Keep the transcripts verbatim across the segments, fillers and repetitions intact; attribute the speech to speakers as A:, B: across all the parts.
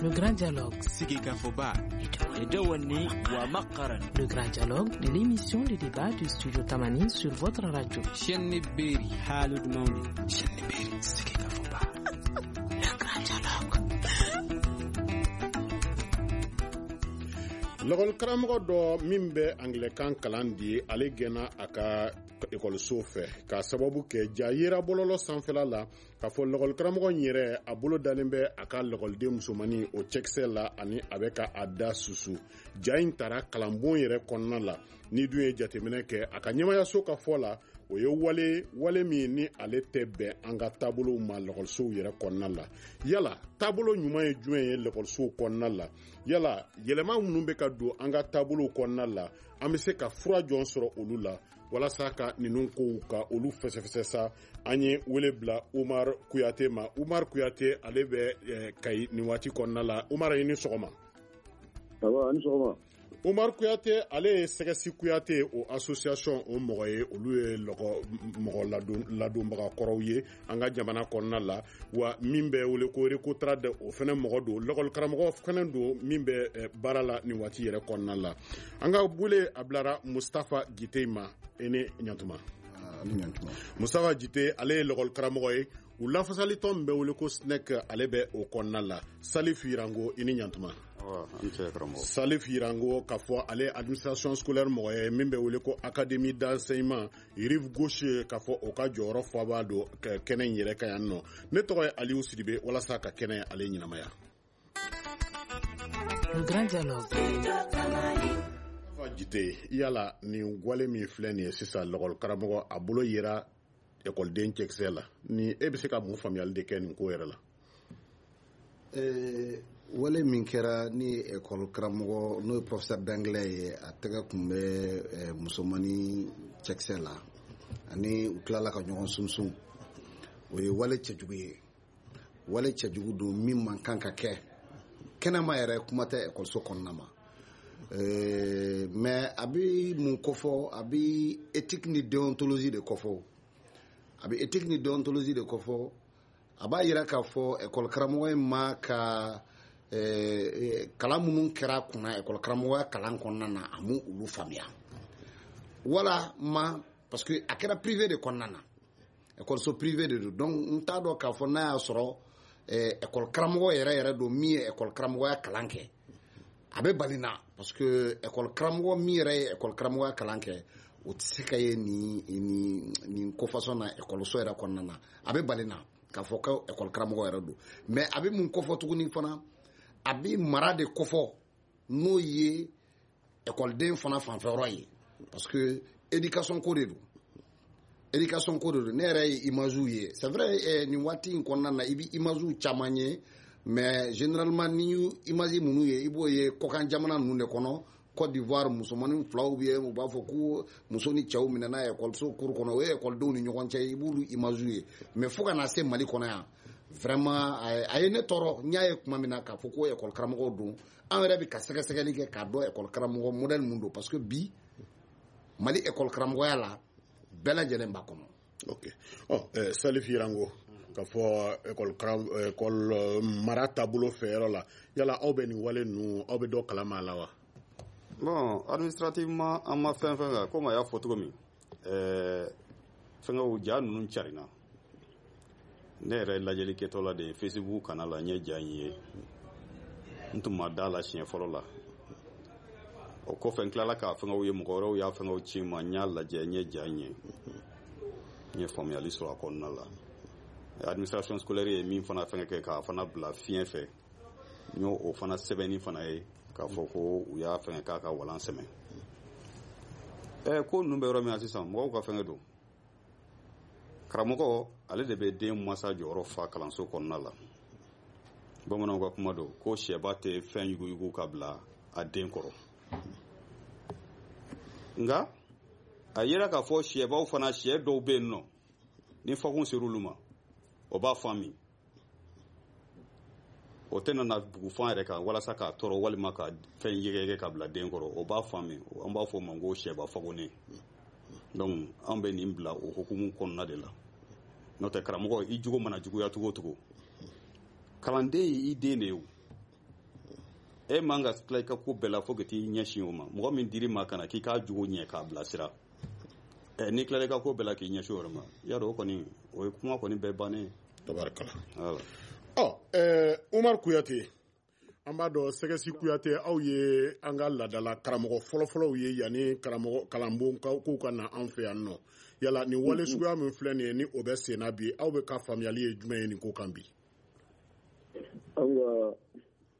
A: Le Grand Dialogue.
B: Sigikafɔba.
A: Le Grand Dialogue, l'émission de débat du studio Tamani sur votre radio.
B: Chaîne Berry. Chaîne Berry. Sigikafɔba.
A: Le Grand Dialogue.
C: Lɔgɔli karamɔgɔ dɔ min bɛ angilɛkan kalan di, ale gɛnna a ka ekɔliso fɛ k'a sababu kɛ ja yera bɔlɔlɔ sanfɛla la k'a fɔ lɔgɔli karamɔgɔ in yɛrɛ a bolo dalen bɛ a ka lɔgɔliden musomannin o cɛkisɛ la ani a bɛ ka a da susu. Ja in taara kalanbon yɛrɛ kɔnɔna la. Ni dun ye jateminɛ kɛ a ka ɲɛmayaso ka fɔ la, o ye wale wale min ni ale tɛ bɛn an ka taabolow ma lɔgɔlisow yɛrɛ kɔnɔna la. Yala taabolo ɲuman ye jumɛn ye lɔgɔlisow kɔnɔna la? Yala yɛlɛma minnu bɛ ka don an ka taabolow kɔnɔna la, an bɛ se ka fura jɔn sɔrɔ olu la walasa ka ninnu kow ka olu fɛsɛfɛsɛ sa? An ye wele bila Umar Kuyate ma. Umar Kuyate, ale bɛ eh, Kayi nin waati kɔnɔna la. Umar, i ni sɔgɔma.
D: Aba, ani sɔgɔma.
C: Umar Kuyate, ale ye Sɛgɛsi Kuyate o association o mɔgɔ ye. Olu ye lɔgɔ mɔgɔ ladon ladonbaga kɔrɔw ye an ka jamana kɔnɔna la. Wa min bɛ wele ko Recotrade, o fɛnɛ mɔgɔ don, lɔgɔli karamɔgɔ fɛnɛ don min bɛ eh, baara la nin waati yɛrɛ kɔnɔna la. An ka wele a bilara Mustafa Jite ma. E ni ɲantuma.
D: Ani ɲantuma.
C: Mustafa Jite, ale ye lɔgɔli karamɔgɔ ye. U lafasalitɔn min bɛ wele ko S N E C, ale bɛ o kɔnɔna la. Salif Yirango, i ni ɲantuma. Salif Yirango, k'a fɔ ale administration scolaire mɔgɔ ye min bɛ wele ko Académie d'enseignement Rive Gauche, k'a fɔ o ka jɔyɔrɔ faba don kɛnɛ in yɛrɛ kan yan nɔ. Ne tɔgɔ ye Aliou Sidibe, walasa ka kɛnɛ ale ɲɛnamaya.
A: Le Grand Dialogue.
C: Jite, yala nin wale min filɛ nin ye sisan, lɔgɔli karamɔgɔ a bolo yera ekɔliden cɛkisɛ la, ni e bɛ se ka mun faamuyali de kɛ nin ko yɛrɛ la?
D: Eh, wale min kɛra ni ekɔli karamɔgɔ, n'o ye professeur d'anglais ye, a tɛgɛ kun bɛ eh, musomannin cɛkisɛ la ani u tilala ka ɲɔgɔn sunsun, o ye wale cɛjugu ye. Wale cɛjugu don min man kan ka kɛ kɛnɛma yɛrɛ, kuma tɛ ekɔliso kɔnɔna ma. Eh, mais a bɛ mun kofɔ? A bɛ éthique ni déontologie de kofɔ. A bɛ éthique ni déontologie de kofɔ. A b'a yira k'a fɔ ekɔli karamɔgɔ in ma ka eh, kalan minnu kɛra a kunna ekɔli karamɔgɔya kalan kɔnɔna na, a m'u olu faamuya wala ma, parce que a kɛra privé de kɔnɔna na, ekɔliso privé de don. Donc n t'a dɔn k'a fɔ n'a y'a sɔrɔ eh, ekɔli karamɔgɔ yɛrɛ yɛrɛ don min ye ekɔli karamɔgɔya kalan kɛ. A bɛ bali na, parce que ekɔli karamɔgɔ min yɛrɛ ye ekɔli karamɔgɔya kalan kɛ, o tɛ se ka ye nin nin nin ko façon na ekɔliso yɛrɛ kɔnɔna na. A bɛ bali na k'a fɔ ko ekɔli karamɔgɔ yɛrɛ don. Mais a bɛ mun kofɔ tuguni fana? A bɛ mara de kofɔ, n'o ye ekɔliden fana fanfɛyɔrɔ ye, parce que éducation ko de don, éducation ko de don. Ne yɛrɛ ye image ye, c'est vrai, eh, nin waati in kɔnɔna na, i bɛ image caman ye, mais généralement ni image minnu ye, i b'o ye kɔkan jamana ninnu de kɔnɔ. Côte d'Ivoire, musomanin filaw bɛ yen, u b'a fɔ ko muso ni cɛw minɛna ekɔliso cour kɔnɔ, o ye ekɔlidenw ni ɲɔgɔn cɛ, i b'olu image ye. Mais fo ka na se Mali kɔnɔ yan, vraiment a ye ne tɔɔrɔ. N y'a ye tuma min na k'a fɔ ko ekɔli karamɔgɔw don, an yɛrɛ bɛ ka sɛgɛsɛgɛli kɛ k'a dɔn ekɔli karamɔgɔ modèle mun don, parce que bi Mali ekɔli karamɔgɔya la, bɛɛ lajɛlen b'a kɔnɔ.
C: Ok, ɔ eh, Salif Yirango, k'a fɔ ekɔli karam ekɔli mara taabolo fɛ yɔrɔ la, yala aw bɛ nin wale ninnu, aw bɛ dɔ kalama a la wa?
E: Bon, administrativement, an ma fɛn fɛn kɛ. Komi a y'a fɔ cogo min, ɛɛ fɛngɛw ja ninnu carinna. Ne yɛrɛ lajɛli kɛtɔ la de ye Facebook kana la, n ye ja in ye. N tun ma da la siɲɛ fɔlɔ la. O kɔfɛ, n tilala k'a fɛngɛw ye, mɔgɔ wɛrɛw y'a fɛngɛw ci n ma, n y'a lajɛ, n ye ja in ye, n ye faamuyali sɔrɔ a kɔnɔna la. Administration scolaire ye min fana fɛngɛ kɛ k'a fana bila fiɲɛ fɛ, n y'o o fana sɛbɛnni fana ye k'a fɔ ko u y'a fɛngɛ k'a ka walan sɛmɛ. Ɛ ko ninnu bɛ yɔrɔ min na sisan, mɔgɔw ka fɛngɛ don. Karamɔgɔ, ale de bɛ den masa jɔyɔrɔ fa kalanso kɔnɔna la. Bamananw ka kuma don ko sɛba tɛ fɛn yuguyugu ka bila a den kɔrɔ. Nka a yera k'a fɔ sɛbaw fana, sɛ dɔw bɛ yen nɔ, ni fakun ser'olu ma, o b'a fan min, o tɛ nana bugufan yɛrɛ kan walasa k'a tɔɔrɔ walima ka fɛn yɛgɛyɛgɛ ka bila den kɔrɔ, o b'a fan min. An b'a fɔ o ma ko sɛba fagonnen. Donc an bɛ nin bila o hukumu kɔnɔna de la. N'o tɛ, karamɔgɔ, i jogo mana juguya cogo o cogo, kalanden ye i den de ye o. E man ka tila i ka ko bɛɛ la fo ka t'i ɲɛsin o ma. Mɔgɔ min dir'i ma ka na k'i k'a jogo ɲɛ k'a bilasira, ɛ n'i tilala i ka ko bɛɛ la k'i ɲɛsin o yɔrɔ ma, i y'a dɔn o kɔni o ye kuma kɔni bɛɛ bannen ye.
C: Tabarikala. Ɔ ɛɛ Umar Kuyate, an b'a dɔn Sɛgɛsi Kuyate, aw ye an ka laadala karamɔgɔ fɔlɔfɔlɔw ye yanni karamɔgɔ kalanbon kow ka na an fɛ yan nɔ. Yala nin wale suguya min filɛ nin ye, ni o bɛ sen na bi, aw bɛ ka faamuyali ye jumɛn ye nin ko kan bi?
F: An ka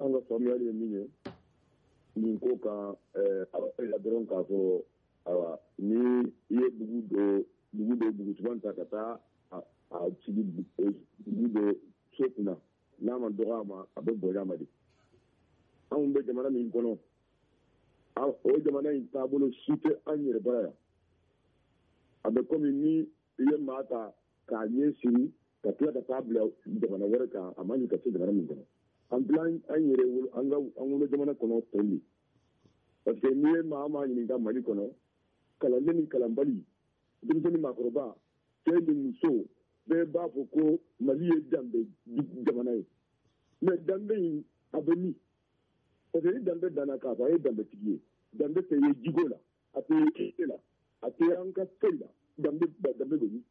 F: an ka faamuyali ye min ye nin ko kan, ɛɛ a b'a yira dɔrɔn k'a fɔ ayiwa, ni i ye dugu dɔ dugu dɔ dugusuman ta ka taa a a sigi dugu dɔ so kunna, n'a ma dɔgɔ a ma, a bɛ bonya a ma de. Anw bɛ jamana min kɔnɔ, o jamana in taabolo si tɛ an yɛrɛ bara yan. A bɛ komi ni i ye maa ta k'a ɲɛ siri ka tila ka taa bila jamana wɛrɛ kan, a ma ɲi ka se jamana min kɔnɔ. An bila an yɛrɛ wolo, an ka an wolo jamana kɔnɔ tɔn de. Parce que n'i ye maa maa ɲininka Mali kɔnɔ, kalanden ni kalanbali, denmisɛnnin maakɔrɔba, cɛ ni muso, bɛɛ b'a fɔ ko Mali ye danbe jamana ye. Mais danbe in a bɛ min? Parce que ni danbe danna k'a fɔ a ye danbetigi ye, danbe tɛ ye jiko la, a tɛ ye kɛnɛ la, a tɛ an ka foyi la, danbe danbe bɛ min?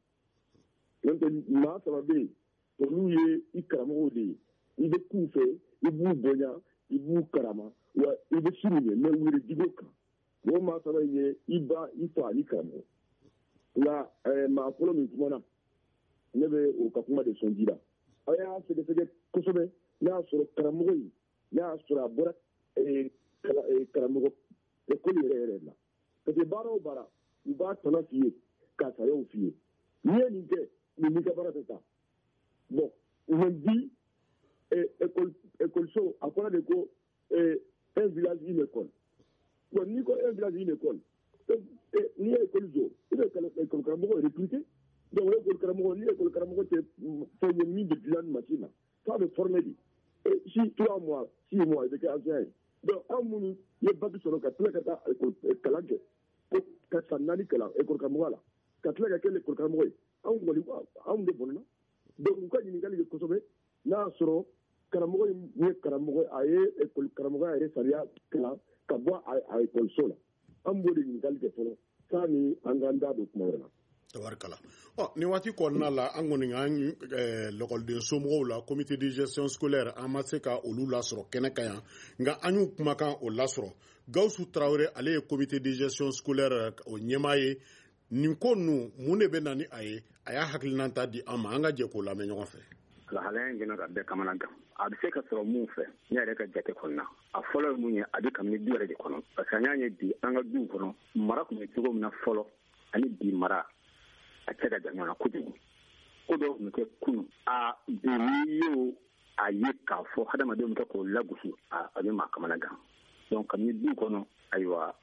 F: N'o tɛ maa saba bɛ yen, olu ye i karamɔgɔw de ye. I bɛ k'u fɛ, i b'u bonya, i b'u karama, wa i bɛ siran u ɲɛ, mɛ u yɛrɛ jiko kan. O maa saba in ye i ba, i fa ani karamɔgɔ. Nka ɛɛ maa fɔlɔ min kumana, ne bɛ o ka kuma de sɔn ji la. A y'a sɛgɛsɛgɛ kosɛbɛ, n'a y'a sɔrɔ karamɔgɔ in, n'a y'a sɔrɔ a bɔra karamɔgɔ ekɔli yɛrɛ yɛrɛ la. Parce que baara o baara, u b'a tɔnɔ f'i ye, k'a sariyaw f'i ye. N'i ye nin kɛ, nin n'i ka baara tɛ taa. Bon, mais bi école école-so a fɔra de ko un village une école. Bon, n'i ko un village une école, n'i ye école jɔ, i bɛ école karamɔgɔ recruter. Donc école karamɔgɔ, ni école karamɔgɔ tɛ fɛn ye min bɛ dilan ni machine na, f'a bɛ former de. Si trois mois, six mois, i bɛ kɛ enseignant ye. Donc anw minnu ye bac sɔrɔ ka tila ka taa école kalan kɛ, ko ka san naani kalan école karamɔgɔya la, ka tila ka kɛ école karamɔgɔ ye, anw kɔni anw de bɔnna. Donc u ka ɲininkali kɛ kosɛbɛ, n'a y'a sɔrɔ karamɔgɔ in ye karamɔgɔ, a ye école karamɔgɔya yɛrɛ sariya kalan ka bɔ a école la. An b'o de ɲininkali kɛ fɔlɔ, sanni an k'an da don kuma wɛrɛ la.
C: Tabarikala. Ɔ nin waati kɔnɔna la, an kɔni an lɔkɔliden somɔgɔw la, comité de gestion scolaire, an ma se ka olu lasɔrɔ kɛnɛ kan yan, nka an y'u kumakan o lasɔrɔ. Gawusu Tarawele, ale ye comité de gestion scolaire o ɲɛmaa ye. Nin ko ninnu, mun de bɛ na ni a ye? A y'a hakilina ta di an ma, an ka jɛ k'o lamɛn ɲɔgɔn fɛ.
G: Lahalaya in gɛnna ka bɛɛ kamana gan. A bɛ se ka sɔrɔ mun fɛ, ne yɛrɛ ka jate kɔnɔna, a fɔlɔ ye mun ye, a bɛ kabini du yɛrɛ de kɔnɔ. Parce que an y'a ye bi an ka duw kɔnɔ, mara tun bɛ cogo min na fɔlɔ ani bi mara, a cɛ ka jan ɲɔgɔn na kojugu. Ko dɔw tun bɛ kɛ kunun, a bi n'i y'o a ye k'a fɔ hadamadenw bɛ kɛ k'o lagosi, a a bɛ maa kamana gan. Donc kabini du kɔnɔ, ayiwa,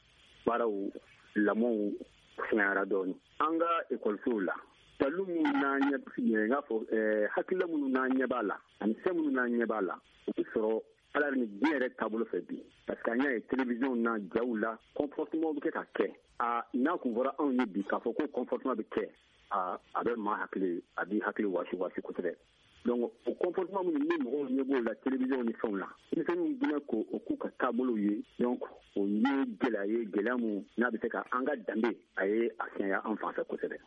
G: baaraw lamɔw fɛngɛyara dɔɔnin. An ka ekɔlisow la, dalu minnu n'an ɲɛ n k'a fɔ hakilila minnu n'an ɲɛ b'a la ani fɛn minnu n'an ɲɛ b'a la, o bɛ sɔrɔ ala ni diɲɛ yɛrɛ taabolo fɛ bi. Parce que an y'a ye télévision na, jaw la, comportement bɛ kɛ ka kɛ. A n'a kun fɔra anw ye bi k'a fɔ ko comportement bɛ kɛ, a a bɛ maa hakili, a b'i hakili wasi wasi kosɛbɛ. Donc o comportement minnu ni mɔgɔw ɲɛ b'o la télévision ni fɛnw la, denmisɛnninw bɛna k'o o k'u ka taabolow ye. Donc o ye gɛlɛya ye, gɛlɛya mun n'a bɛ se ka an ka danbe a ye a fiɲɛya an fan fɛ kosɛbɛ.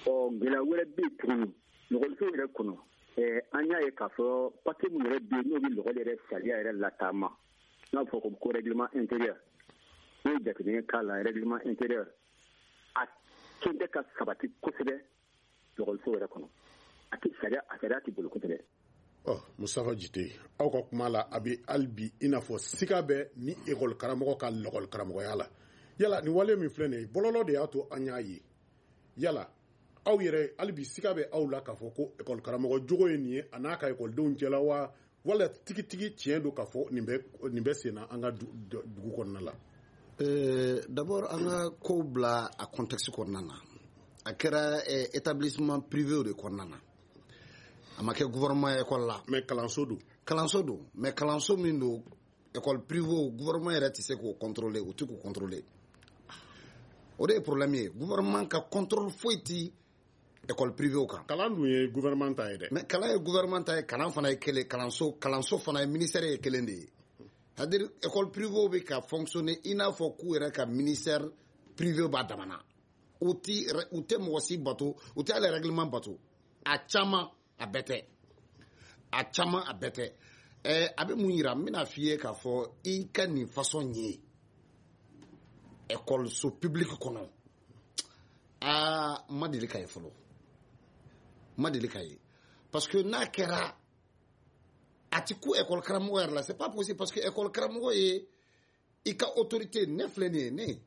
G: Ɔ gɛlɛya wɛrɛ bɛ yen tuguni, lɔgɔliso yɛrɛ kɔnɔ, ɛɛ an y'a ye k'a fɔ papiye min yɛrɛ bɛ yen n'o bɛ lɔgɔli yɛrɛ sariya yɛrɛ lataama, n'a bɛ fɔ ko règlement intérieur, n'o ye jateminɛ k'a la, règlement intérieur a tun tɛ ka sabati kosɛbɛ lɔgɔliso yɛrɛ kɔnɔ. A tɛ sariya, a sariya tɛ boli kosɛbɛ.
C: Ɔ Mustafa Jite, aw ka kuma la, a bɛ hali bi i n'a fɔ siga bɛ ni ekɔli karamɔgɔ ka lɔgɔli karamɔgɔya la. Yala nin wale min filɛ nin ye, bɔlɔlɔ de y'a to an y'a ye. Yala aw yɛrɛ hali bi siga bɛ aw la k'a fɔ ko ekɔli karamɔgɔ jogo ye nin ye a n'a ka ekɔlidenw cɛla wa, wala tigitigi tiɲɛ don k'a fɔ nin bɛ nin bɛ sen na an ka dugu kɔnɔna la?
D: Euh, d'abord an ka kow bila a contexte kɔnɔna na. A kɛra établissement privé de kɔnɔna na, a ma kɛ gouvernement école la.
C: Mais kalanso don.
D: Kalanso don, mais kalanso min don, école privée, gouvernement yɛrɛ tɛ se k'o contrôler, o tɛ k'o contrôler. O de ye problème ye. Gouvernement ka contrôle foyi ti École privée kan.
C: Kalan dun ye gouvernement ta ye dɛ.
D: Mais kalan ye gouvernement ta ye, kalan fana ye kelen, kalanso kalanso fana ye ministère ye kelen de ye. C'est-à-dire école privée bɛ ka fonctionner i n'a fɔ k'u yɛrɛ ka ministère privé b'a damana. U ti u tɛ mɔgɔ si bato, u tɛ hali règlement bato. A caman a bɛɛ tɛ. A caman a bɛɛ tɛ. Ɛɛ a bɛ mun yira, n bɛna f'i ye k'a fɔ i ka nin façon ye école so publique kɔnɔ. Aa, n ma deli ka ye fɔlɔ. N ma deli ka ye. Parce que n'a kɛra, a ti ku école karamɔgɔ yɛrɛ la, c'est pas possible, parce que école karamɔgɔ ye i ka autorité. Ne filɛ nin ye, ne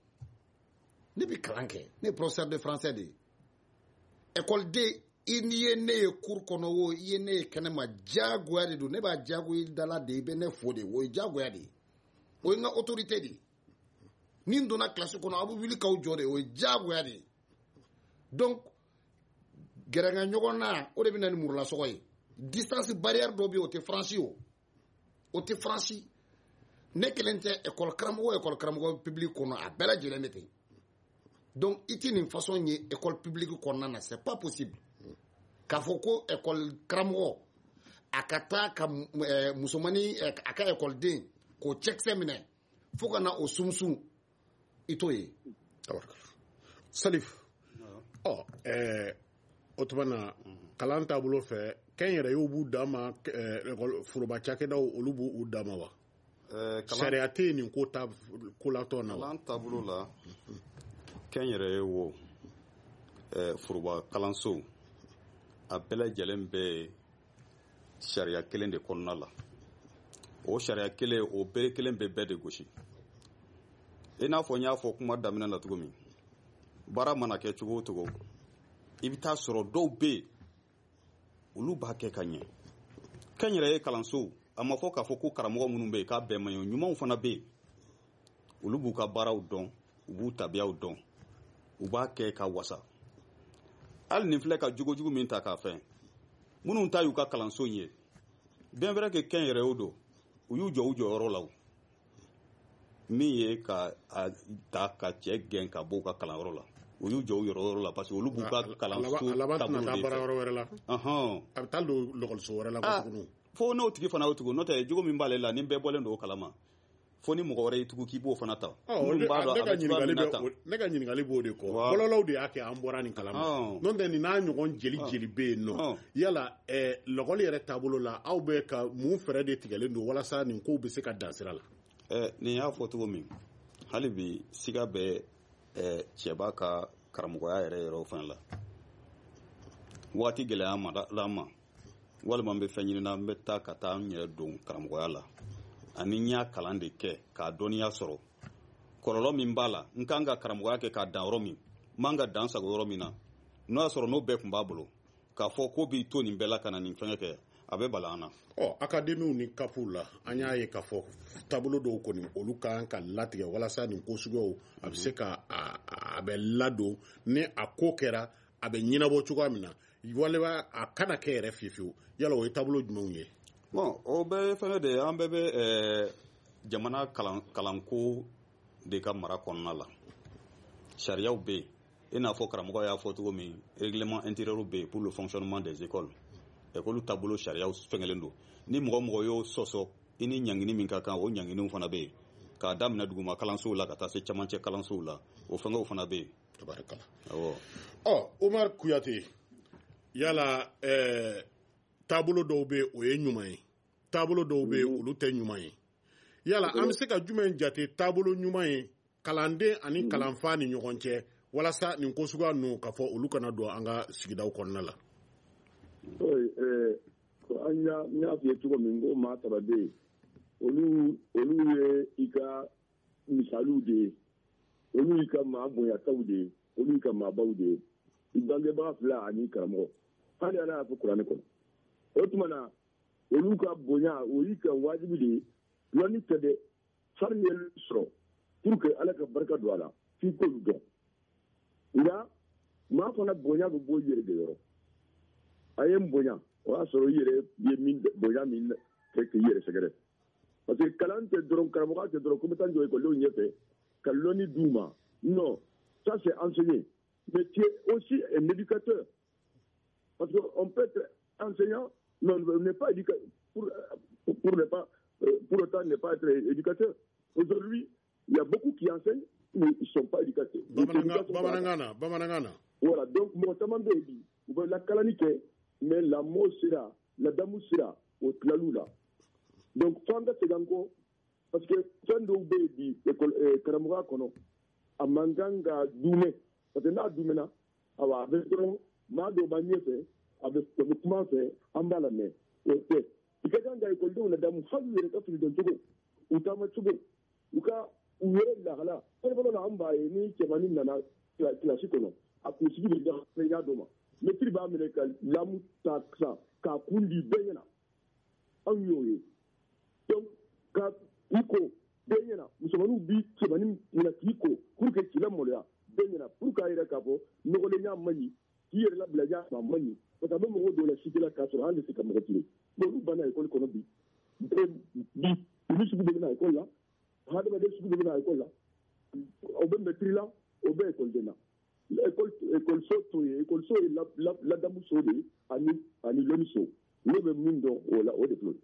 D: ne bɛ kalan kɛ, ne ye professeur de français de ye. École den, i n'i ye ne ye cours kɔnɔ o, i ye ne ye kɛnɛma, diyagoya de don, ne b'a diyagoya i da la de, i bɛ ne fo de, o ye diyagoya de ye, o ye n ka autorité de ye. Ni n donna classe kɔnɔ, aw bɛ wuli k'aw jɔ de, o ye diyagoya de ye. Donc gɛrɛŋa ɲɔgɔn na, o de bɛ na ni murulasɔgɔ ye. Distance barrière dɔ bɛ yen, o tɛ franchi, o o tɛ franchi. Ne kelen tɛ, école karamɔgɔ école karamɔgɔ public kɔnɔ, a bɛɛ lajɛlen bɛ ten. Donc i ti nin façon ye école publique kɔnɔna na, c'est pas possible. K'a fɔ ko école karamɔgɔ a ka taa ka musomanin a ka école den k'o cɛkisɛ minɛ fo ka na o sunsun, i t'o ye.
C: Salif, ɔ ɛɛ o tuma na kalan taabolo fɛ, kɛnyɛrɛyew b'u dan ma, foroba cakɛdaw olu b'u dan ma wa? Sariya tɛ yen nin ko ta kolatɔ na wa?
E: Kalan taabolo la, kɛnyɛrɛye wo, foroba kalansow, a bɛɛ lajɛlen bɛ sariya kelen de kɔnɔna la. O sariya kelen, o bere kelen bɛ bɛɛ de gosi. I n'a fɔ n y'a fɔ kuma daminɛ la cogo min, baara mana kɛ cogo o cogo, i bɛ taa sɔrɔ dɔw bɛ yen, olu b'a kɛ ka ɲɛ. Kɛnyɛrɛye kalansow, a ma fɔ k'a fɔ ko karamɔgɔ minnu bɛ yen k'a bɛɛ man ɲi, ɲumanw fana bɛ yen. Olu b'u ka baaraw dɔn, u b'u tabiyaw dɔn, u b'a kɛ ka wasa. Hali nin filɛ ka jogojugu min ta k'a fɛn, minnu ta y'u ka kalanso in ye, bien vrai que kɛnyɛrɛyew don, u y'u jɔ u jɔyɔrɔ la o. Min ye ka a ta ka cɛ gɛn ka bɔ u ka kalanyɔrɔ la, u y'u jɔ u yɔrɔ la, parce que olu b'u ka kalanso taabolo de fɛ.
C: A laban tɛna taa baara yɔrɔ wɛrɛ la. A bɛ taa don lɔkɔliso wɛrɛ la ko tuguni.
E: Fo n'o tigi fana y'o tugu, n'o tɛ jogo min b'ale la, ni bɛɛ bɔlen don o kalama, fo ni mɔgɔ wɛrɛ y'i tugu k'i b'o fana ta.
C: Ne ka ɲininkali ne ka ɲininkali b'o de kɔ. Bɔlɔlɔw de y'a kɛ an bɔra nin kalama. N'o tɛ nin n'a ɲɔgɔn jeli jeli bɛ yen nɔ. Yala lɔkɔli yɛrɛ taabolo la, aw bɛ ka mun fɛɛrɛ de tigɛlen don walasa nin kow bɛ se ka dan sira la?
E: Nin y'a fɔ cogo min, hali bi siga bɛ cɛba ka karamɔgɔya yɛrɛ yɔrɔ fana la. Waati gɛlɛya ma la ma, walima n bɛ fɛn ɲini na, n bɛ taa ka taa n yɛrɛ don karamɔgɔya la, ani n y'a kalan de kɛ k'a dɔnniya sɔrɔ. Kɔlɔlɔ min b'a la, n kan ka karamɔgɔya kɛ k'a dan yɔrɔ min, n man ka dan sago yɔrɔ min na, n'o y'a sɔrɔ n'o bɛɛ tun b'a bolo, k'a fɔ ko b'i to nin bɛɛ la ka na nin fɛngɛ kɛ, a bɛ bala an na.
C: Ɔ akademiw ni kapuw la, an y'a ye k'a fɔ taabolo dɔw kɔni olu kan ka latigɛ walasa nin ko suguyaw a bɛ se ka a bɛ ladon, ni a ko kɛra a bɛ ɲɛnabɔ cogoya min na, walima a kana kɛ yɛrɛ fiyewu fiyewu. Yala o ye taabolo jumɛnw ye?
E: Bon, o bɛɛ ye fɛngɛ de ye, an bɛɛ bɛ jamana kalan kalanko de ka mara kɔnɔna la. Sariyaw bɛ yen, i n'a fɔ karamɔgɔ y'a fɔ cogo min, règlement intérieur bɛ yen pour le fonctionnement des écoles. École taabolo sariyaw fɛngɛlen don. Ni mɔgɔ mɔgɔ y'o sɔsɔ, i ni ɲangini min ka kan, o ɲanginiw fana bɛ yen. K'a daminɛ duguma kalansow la ka taa se camancɛ kalansow la, o fɛngɛw fana bɛ yen.
C: Tabarikala.
E: Awɔ.
C: Ɔ Umar Kuyate, yala ɛɛ taabolo dɔw bɛ yen o ye ɲuman ye, taabolo dɔw bɛ yen olu tɛ ɲuman ye. Yala an bɛ se ka jumɛn jate taabolo ɲuman ye kalanden ani kalanfa ni ɲɔgɔn cɛ, walasa nin ko suguya ninnu k'a fɔ olu kana don an ka sigidaw kɔnɔna la?
F: An y'a n y'a f'i ye cogo min, ko maa saba bɛ yen, olu olu ye i ka misaliw de ye, olu y'i ka maa bonyataw de ye, olu y'i ka maabaw de ye, i bangebaga fila ani karamɔgɔ. Hali Ala y'a fɔ kuranɛ kɔnɔ. O tuma na olu ka bonya, o y'i ka wajibi de ye. Lɔnni tɛ dɛ, hali n'i ye sɔrɔ pour que Ala ka barika don a la, f'i k'olu dɔn. Nka maa fana bonya bɛ bɔ i yɛrɛ de yɔrɔ. A ye n bonya, o y'a sɔrɔ i yɛrɛ ye min bonya min kɛ k'i yɛrɛ sɛgɛrɛ. Parce que kalan tɛ dɔrɔn, karamɔgɔya tɛ dɔrɔn ko n bɛ taa n jɔ ekɔlidenw ɲɛfɛ ka lɔnni d'u ma. Non, ça c'est enseigner. Mais tu es aussi un éducateur. Parce qu'on peut être enseignant, mais on n'est pas éducateur, pour, pour, ne pas, pour autant ne pas être éducateur. Aujourd'hui, il y a beaucoup qui enseignent, mais ils ne sont pas éducateurs.
C: Bamanangana, Bamanangana.
F: Voilà, donc, moi, ça m'a dit, la kalanike, mais la mot sera, la damou sera, au tlalou là. Donc, fanga seganko, parce que fɛn dɔw bɛ yen bi école karamɔgɔya kɔnɔ, a man kan ka dumɛ, parce que n'a dumɛna, awa a bɛ dɔrɔn maa dɔw b'an ɲɛfɛ, a bɛ a bɛ kuma an fɛ, an b'a lamɛn, o tɛ. I ka kan ka ekɔlidenw ladamu hali u yɛrɛ ka fini don cogo, u taama cogo, u ka u yɛrɛ lahala. Fɔlɔ la an b'a ye ni cɛmannin nana kilasi kɔnɔ, a kunsigi bɛ da ɲɛ dɔ ma, mɛtiri b'a minɛ ka lamu ta sisan k'a kun di bɛɛ ɲɛna, anw y'o ye. Donc ka i ko bɛɛ ɲɛna, musomaninw bi cɛmannin minɛ k'i ko pour que k'i lamaloya bɛɛ ɲɛna, pour k'a yɛrɛ k'a fɔ nɔgɔlenya man ɲi, k'i yɛrɛ labila ja a man ɲi, parce que a bɛ mɔgɔw dɔw la cité la k'a sɔrɔ hali tɛ se ka mɔgɔ tilen. Bon olu banna école kɔnɔ bi, bi olu sugu bɛɛ bɛ na école la, hadamaden sugu bɛɛ bɛ na école la, o bɛ mɛtiri la, o bɛ école na. École école so t'o ye, école so ye ladamu so de ye ani ani lɔnni so. Ne bɛ min dɔn o la, o de filɛ.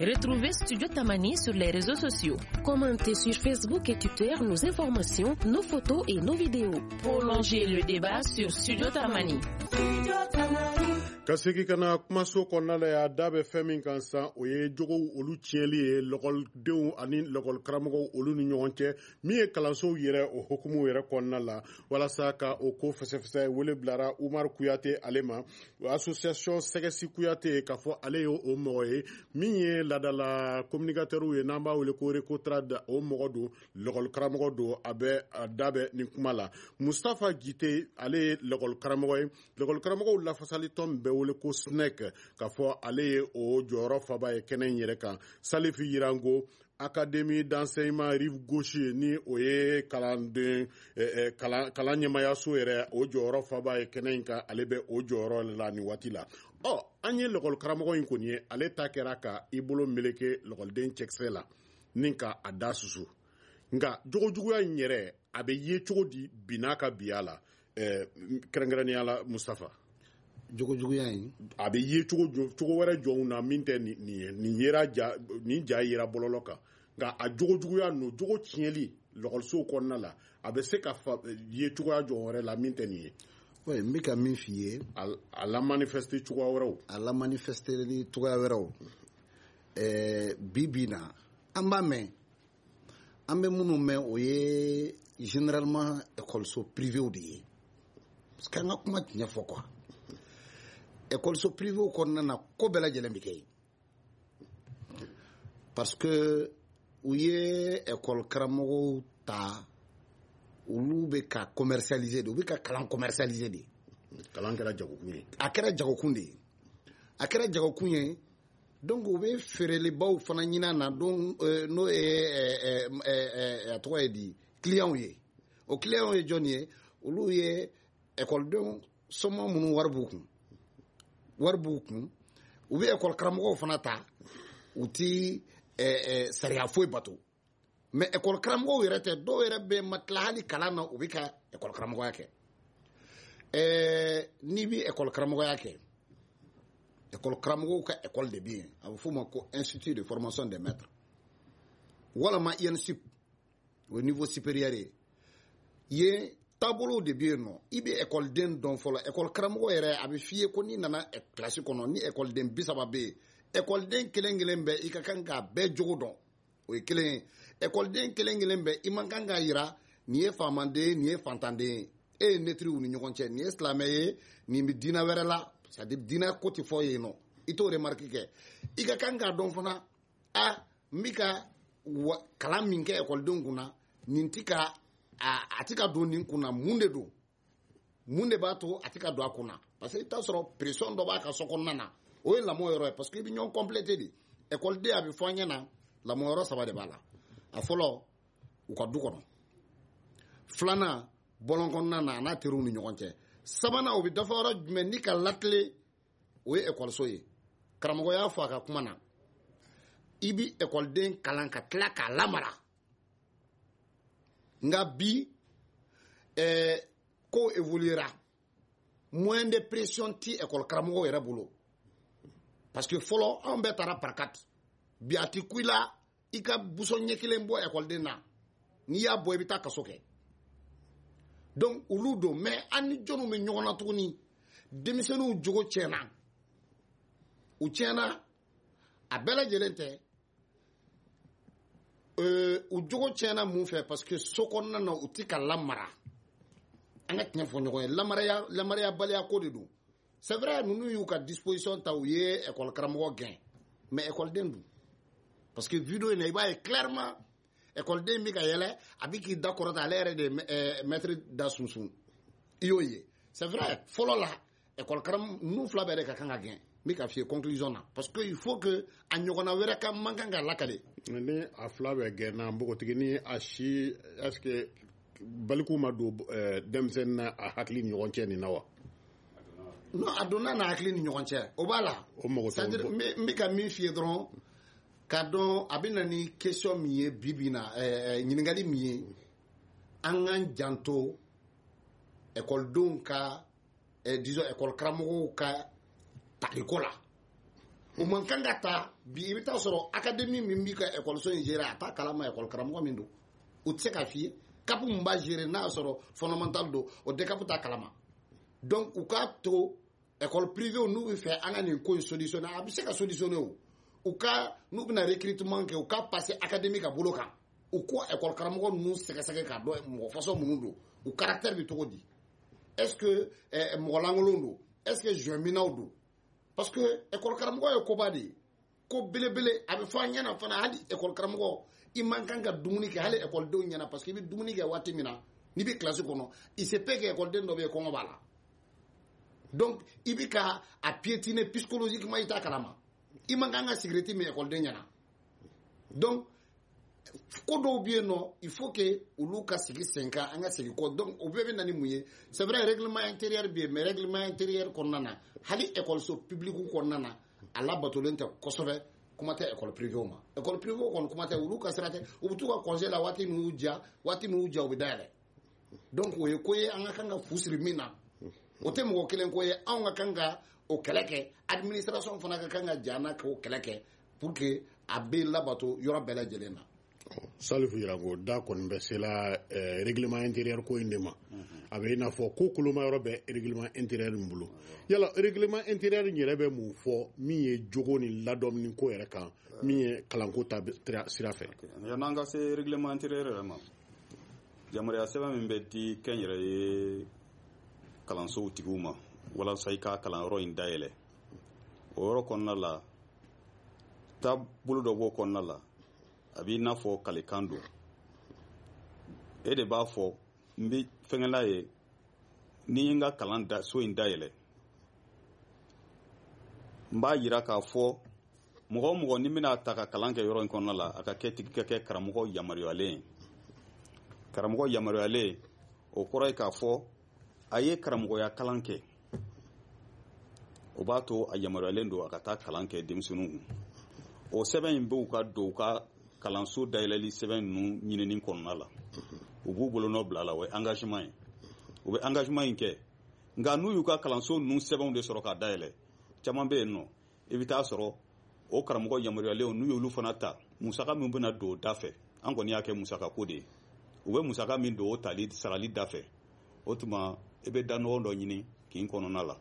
A: Retrouvez Studio Tamani sur les réseaux sociaux.
H: Commentez sur Facebook et Twitter nos informations, nos photos et nos vidéos.
A: Prolongez le débat sur Studio Tamani.
I: Studio Tamani.
C: Ka segin ka na kumaso kɔnɔna la yan, da bɛ fɛn min kan sisan, o ye jogow olu tiɲɛli ye lɔkɔlidenw ani lɔkɔlikaramɔgɔw olu ni ɲɔgɔn cɛ, min ye kalansow yɛrɛ o hukumu yɛrɛ kɔnɔna la. Walasa ka o ko fɛsɛfɛsɛ, wele bilara Umar Kuyate ale ma, association Sɛgɛsi Kuyate, k'a fɔ ale ye o mɔgɔ ye min ye ladala communicateur ye, n'an b'a wele ko Recotrad, o mɔgɔ don, lɔkɔlikaramɔgɔ don, a bɛ a da bɛ nin kuma la. Mustafa Jite, ale ye lɔkɔlikaramɔgɔ ye, lɔkɔlikaramɔgɔw lafasali tɔn bɛ wele ko S N E C, k'a fɔ ale ye o jɔyɔrɔ faba ye kɛnɛ in yɛrɛ kan. Salifu Yirango, Académie d'enseignement Rive Gauche, ni o ye kalanden kalan kalan ɲɛmayaso yɛrɛ, o jɔyɔrɔ faba ye kɛnɛ in kan, ale bɛ o jɔyɔrɔ la nin waati la. Ɔ an ye lɔkɔlikaramɔgɔ in kɔni ye, ale ta kɛra ka i bolo meleke lɔkɔliden cɛkisɛ la ni ka a da susu. Nka jogojuguya in yɛrɛ a bɛ ye cogo di bi n'a ka biya la, kɛrɛnkɛrɛnnenya la Mustafa?
D: Jogojuguya in
C: a bɛ ye cogo cogo wɛrɛ jɔnw na min tɛ nin ye, nin yera ja, nin ja yera bɔlɔlɔ kan, nka a jogojuguya ninnu, jogo tiɲɛli lɔkɔlisow kɔnɔna la, a bɛ se ka ye cogoya jɔn wɛrɛ la min tɛ nin ye.
D: Oui, n bɛ ka min f'i ye,
C: a la manifester cogoya wɛrɛw,
D: a la manifester ni cogoya wɛrɛw. Ɛɛ bi bi na an b'a mɛn, an bɛ minnu mɛn o ye généralement école-so privéw de ye, parce que an ka kuma tiɲɛ fɔ quoi. École-so privéw kɔnɔna na, ko bɛɛ lajɛlen bɛ kɛ yen, parce que u ye école karamɔgɔw ta, olu bɛ ka commercialiser de, u bɛ ka kalan commercialiser de.
C: Kalan kɛra jagokun ye.
D: A kɛra jagokun de ye, a kɛra jagokun ye. Donc u bɛ feerelibaw fana ɲini a na, donc n'o ye a tɔgɔ ye di, clients ye. O clients ye jɔn ye? Olu ye écoledenw sɔmɔ minnu wari b'u kun, wari b'u kun, u bɛ école karamɔgɔw fana ta, u ti sariya foyi bato. Mais école karamɔgɔw yɛrɛ tɛ, dɔw yɛrɛ bɛ ma tila hali kalan na, u bɛ ka école karamɔgɔya kɛ. Ɛɛ n'i bɛ école karamɔgɔya kɛ, école karamɔgɔw ka école de bɛ yen, a bɛ f'o ma ko institut de formation des maîtres, walama I N S U P, o ye niveau supérieur ye. Yen taabolow de bɛ yen nɔ, i bɛ ekɔliden dɔn fɔlɔ. Ekɔli karamɔgɔ yɛrɛ a bɛ f'i ye ko n'i nana kilasi kɔnɔ, ni ekɔliden bi saba bɛ yen, ekɔliden kelen kelen bɛɛ i ka kan k'a bɛɛ jogo dɔn, o ye kelen ye. Ekɔliden kelen kelen bɛɛ i man kan k'a yira nin ye faamanden ye, nin ye fantanden ye, e ye netiriw ni ɲɔgɔn cɛ, nin ye silamɛ ye, nin bɛ diinɛ wɛrɛ la, c'est à dire diinɛ ko tɛ fɔ yen nɔ, i t'o remarque kɛ. I ka kan k'a dɔn fana, a n bɛ ka kalan min kɛ ekɔlidenw kunna, nin ti ka a ti ka don nin kunna, mun de don, mun de b'a to a ti ka don a kunna? Parce que i bɛ taa sɔrɔ pression dɔ b'a ka so kɔnɔna na, o ye lamɔ yɔrɔ ye, parce que i bɛ ɲɔgɔn compléter de. Ekɔliden a bɛ fɔ an ɲɛna lamɔ yɔrɔ saba de b'a la. A fɔlɔ, u ka du kɔnɔ. Filanan, bɔlɔn kɔnɔna na a n'a teriw ni ɲɔgɔn cɛ. Sabanan, o bɛ dafa yɔrɔ jumɛn ni ka latile, o ye ekɔliso ye. Karamɔgɔ y'a fɔ a ka kuma na, i bi ekɔliden kalan ka tila k'a lamara. Nka bi ɛɛ ko évoluera, Moyen de pression ti école karamɔgɔw yɛrɛ bolo, parce que fɔlɔ anw bɛɛ taara par quatre. Bi a ti ku i la i ka busɔn ɲɛ kelen bɔ ekɔliden na, n'i y'a bɔ i bɛ taa kaso kɛ. Donc olu don. Mais an ni jɔnniw bɛ ɲɔgɔn na tuguni? Denmisɛnninw jogo tiɲɛna, u tiɲɛna, a bɛɛ lajɛlen tɛ. U jogo tiɲɛna mun fɛ? Parce que so kɔnɔna na u ti ka lamara. An ka tiɲɛ fɔ ɲɔgɔn ye, lamaraya lamarayabaliya ko de don. C'est vrai, ninnu y'u ka disposition ta, u ye école karamɔgɔ gɛn, mais écoleden dun? Parce que vidéo in na, i b'a ye clairement écoleden bɛ ka yɛlɛ, a bɛ k'i da kɔrɔta, ale yɛrɛ de ye maître da sunsun, i y'o ye. C'est vrai, fɔlɔ la école karamɔgɔ ninnu fila bɛɛ de ka kan ka gɛn. N bɛ ka f'i ye conclusion na, parce que il faut que a ɲɔgɔnna wɛrɛ ka man kan ka lakale.
C: Ni a fila bɛɛ gɛnna, npogotigini a si, est ce que baliku ma don denmisɛnnin na a hakili ni ɲɔgɔn cɛ nin na wa?
D: Non, a donna n'a hakili ni ɲɔgɔn cɛ, o b'a la.
C: O mago
D: t'o. C'est-à-dire, n bɛ ka min f'i ye dɔrɔn, k'a dɔn a bɛ na ni question min ye bi bi in na, ɛɛ ɲininkali min ye, an k'an janto ekɔlidenw ka, disons école karamɔgɔw ka taliko la. O man kan ka ta bi. I bɛ taa sɔrɔ académie min b'i ka ekɔliso in gérer, a t'a kalama école karamɔgɔ min don, o tɛ se k'a f'i ye. C A P min b'a gérer, n'a y'a sɔrɔ fondamental don, o D C A P t'a kalama. Donc u k'a to école privée, n'u bɛ fɛ an ka nin ko in solutionner, a bɛ se ka solutionner. O u ka, n'u bɛna recrutement kɛ, u ka passer académie ka bolo kan, u ko école karamɔgɔ ninnu sɛgɛsɛgɛ k'a dɔn mɔgɔ façon minnu don, u caractère bɛ cogo di, est-ce que mɔgɔ lankolon don, est-ce que joint-minaw don. Parce que école karamɔgɔ ye koba de ye, ko belebele. A bɛ fɔ an ɲɛna fana, hali école karamɔgɔ, i man kan ka dumuni kɛ hali ekɔlidenw ɲɛna, parce que i bɛ dumuni kɛ waati min na n'i bɛ kilasi kɔnɔ, il se peut que ekɔliden dɔ bɛ yen, kɔngɔ b'a la. Donc i bɛ ka a piétiner psychologiquement, i t'a kalama. I man kan ka sigirɛti min ekɔliden ɲɛna. Donc ko dɔw bɛ yen nɔ, il faut que olu ka sigi sen kan, an ka segin kɔ. Donc o bɛɛ bɛ na ni mun ye? C'est vrai, règlement intérieur bɛ yen, mais règlement intérieur kɔnɔna na, hali ekɔliso public kɔnɔna na, a labatolen tɛ kosɛbɛ. Kuma tɛ école privée ma. École privée kɔni, kuma tɛ, olu ka sira tɛ. U bɛ t'u ka congé la waati min y'u diya, waati min y'u diya, u bɛ dayɛlɛ. Donc o ye ko ye an ka kan ka fu siri min na. O tɛ mɔgɔ kelen ko ye, anw ka kan ka o kɛlɛ kɛ, administration fana ka kan ka ja n'a k'o kɛlɛ kɛ pour que a bɛ labato yɔrɔ bɛɛ lajɛlen na.
C: Salifu Yirago, da kɔni bɛ sela règlement intérieur ko in de ma. A bɛ i n'a fɔ ko koloma yɔrɔ bɛ règlement intérieur in bolo. Yala règlement intérieur in yɛrɛ bɛ mun fɔ min ye jogo ni ladɔmuni ko yɛrɛ kan, min ye kalanko ta sira fɛ?
E: Yan'an ka se règlement intérieur yɛrɛ ma, yamaruya sɛbɛn min bɛ di kɛnyɛrɛye kalansow tigiw ma walasa i ka kalanyɔrɔ in dayɛlɛ, o yɔrɔ kɔnɔna la, taabolo dɔ b'o kɔnɔna la, a b'i n'a fɔ kalekan don. E de b'a fɔ n bɛ fɛngɛla ye, ni ye n ka kalan da so in dayɛlɛ, n b'a yira k'a fɔ mɔgɔ o mɔgɔ ni bɛna ta ka kalan kɛ yɔrɔ in kɔnɔna la, a ka kɛ tigi ka kɛ karamɔgɔ yamaruyalen ye. Karamɔgɔ yamaruyalen, o kɔrɔ ye k'a fɔ a ye karamɔgɔya kalan kɛ, o b'a to a yamaruyalen don a ka taa kalan kɛ denmisɛnninw kun. O sɛbɛn in b'u ka don u ka kalanso dayɛlɛli sɛbɛn ninnu ɲinini kɔnɔna la, u b'u bolonɔ bila a la, o ye engagement ye. U bɛ engagement in kɛ, nka n'u y'u ka kalanso ninnu sɛbɛnw de sɔrɔ k'a dayɛlɛ, caman bɛ yen nɔ, i bɛ taa sɔrɔ o karamɔgɔ yamaruyalenw, n'u y'olu fana ta, musaka min bɛna don o da fɛ, an kɔni y'a kɛ musaka ko de ye, u bɛ musaka min don o tali sarali da fɛ, o tuma i bɛ da nɔgɔ dɔ ɲini kin kɔnɔna la.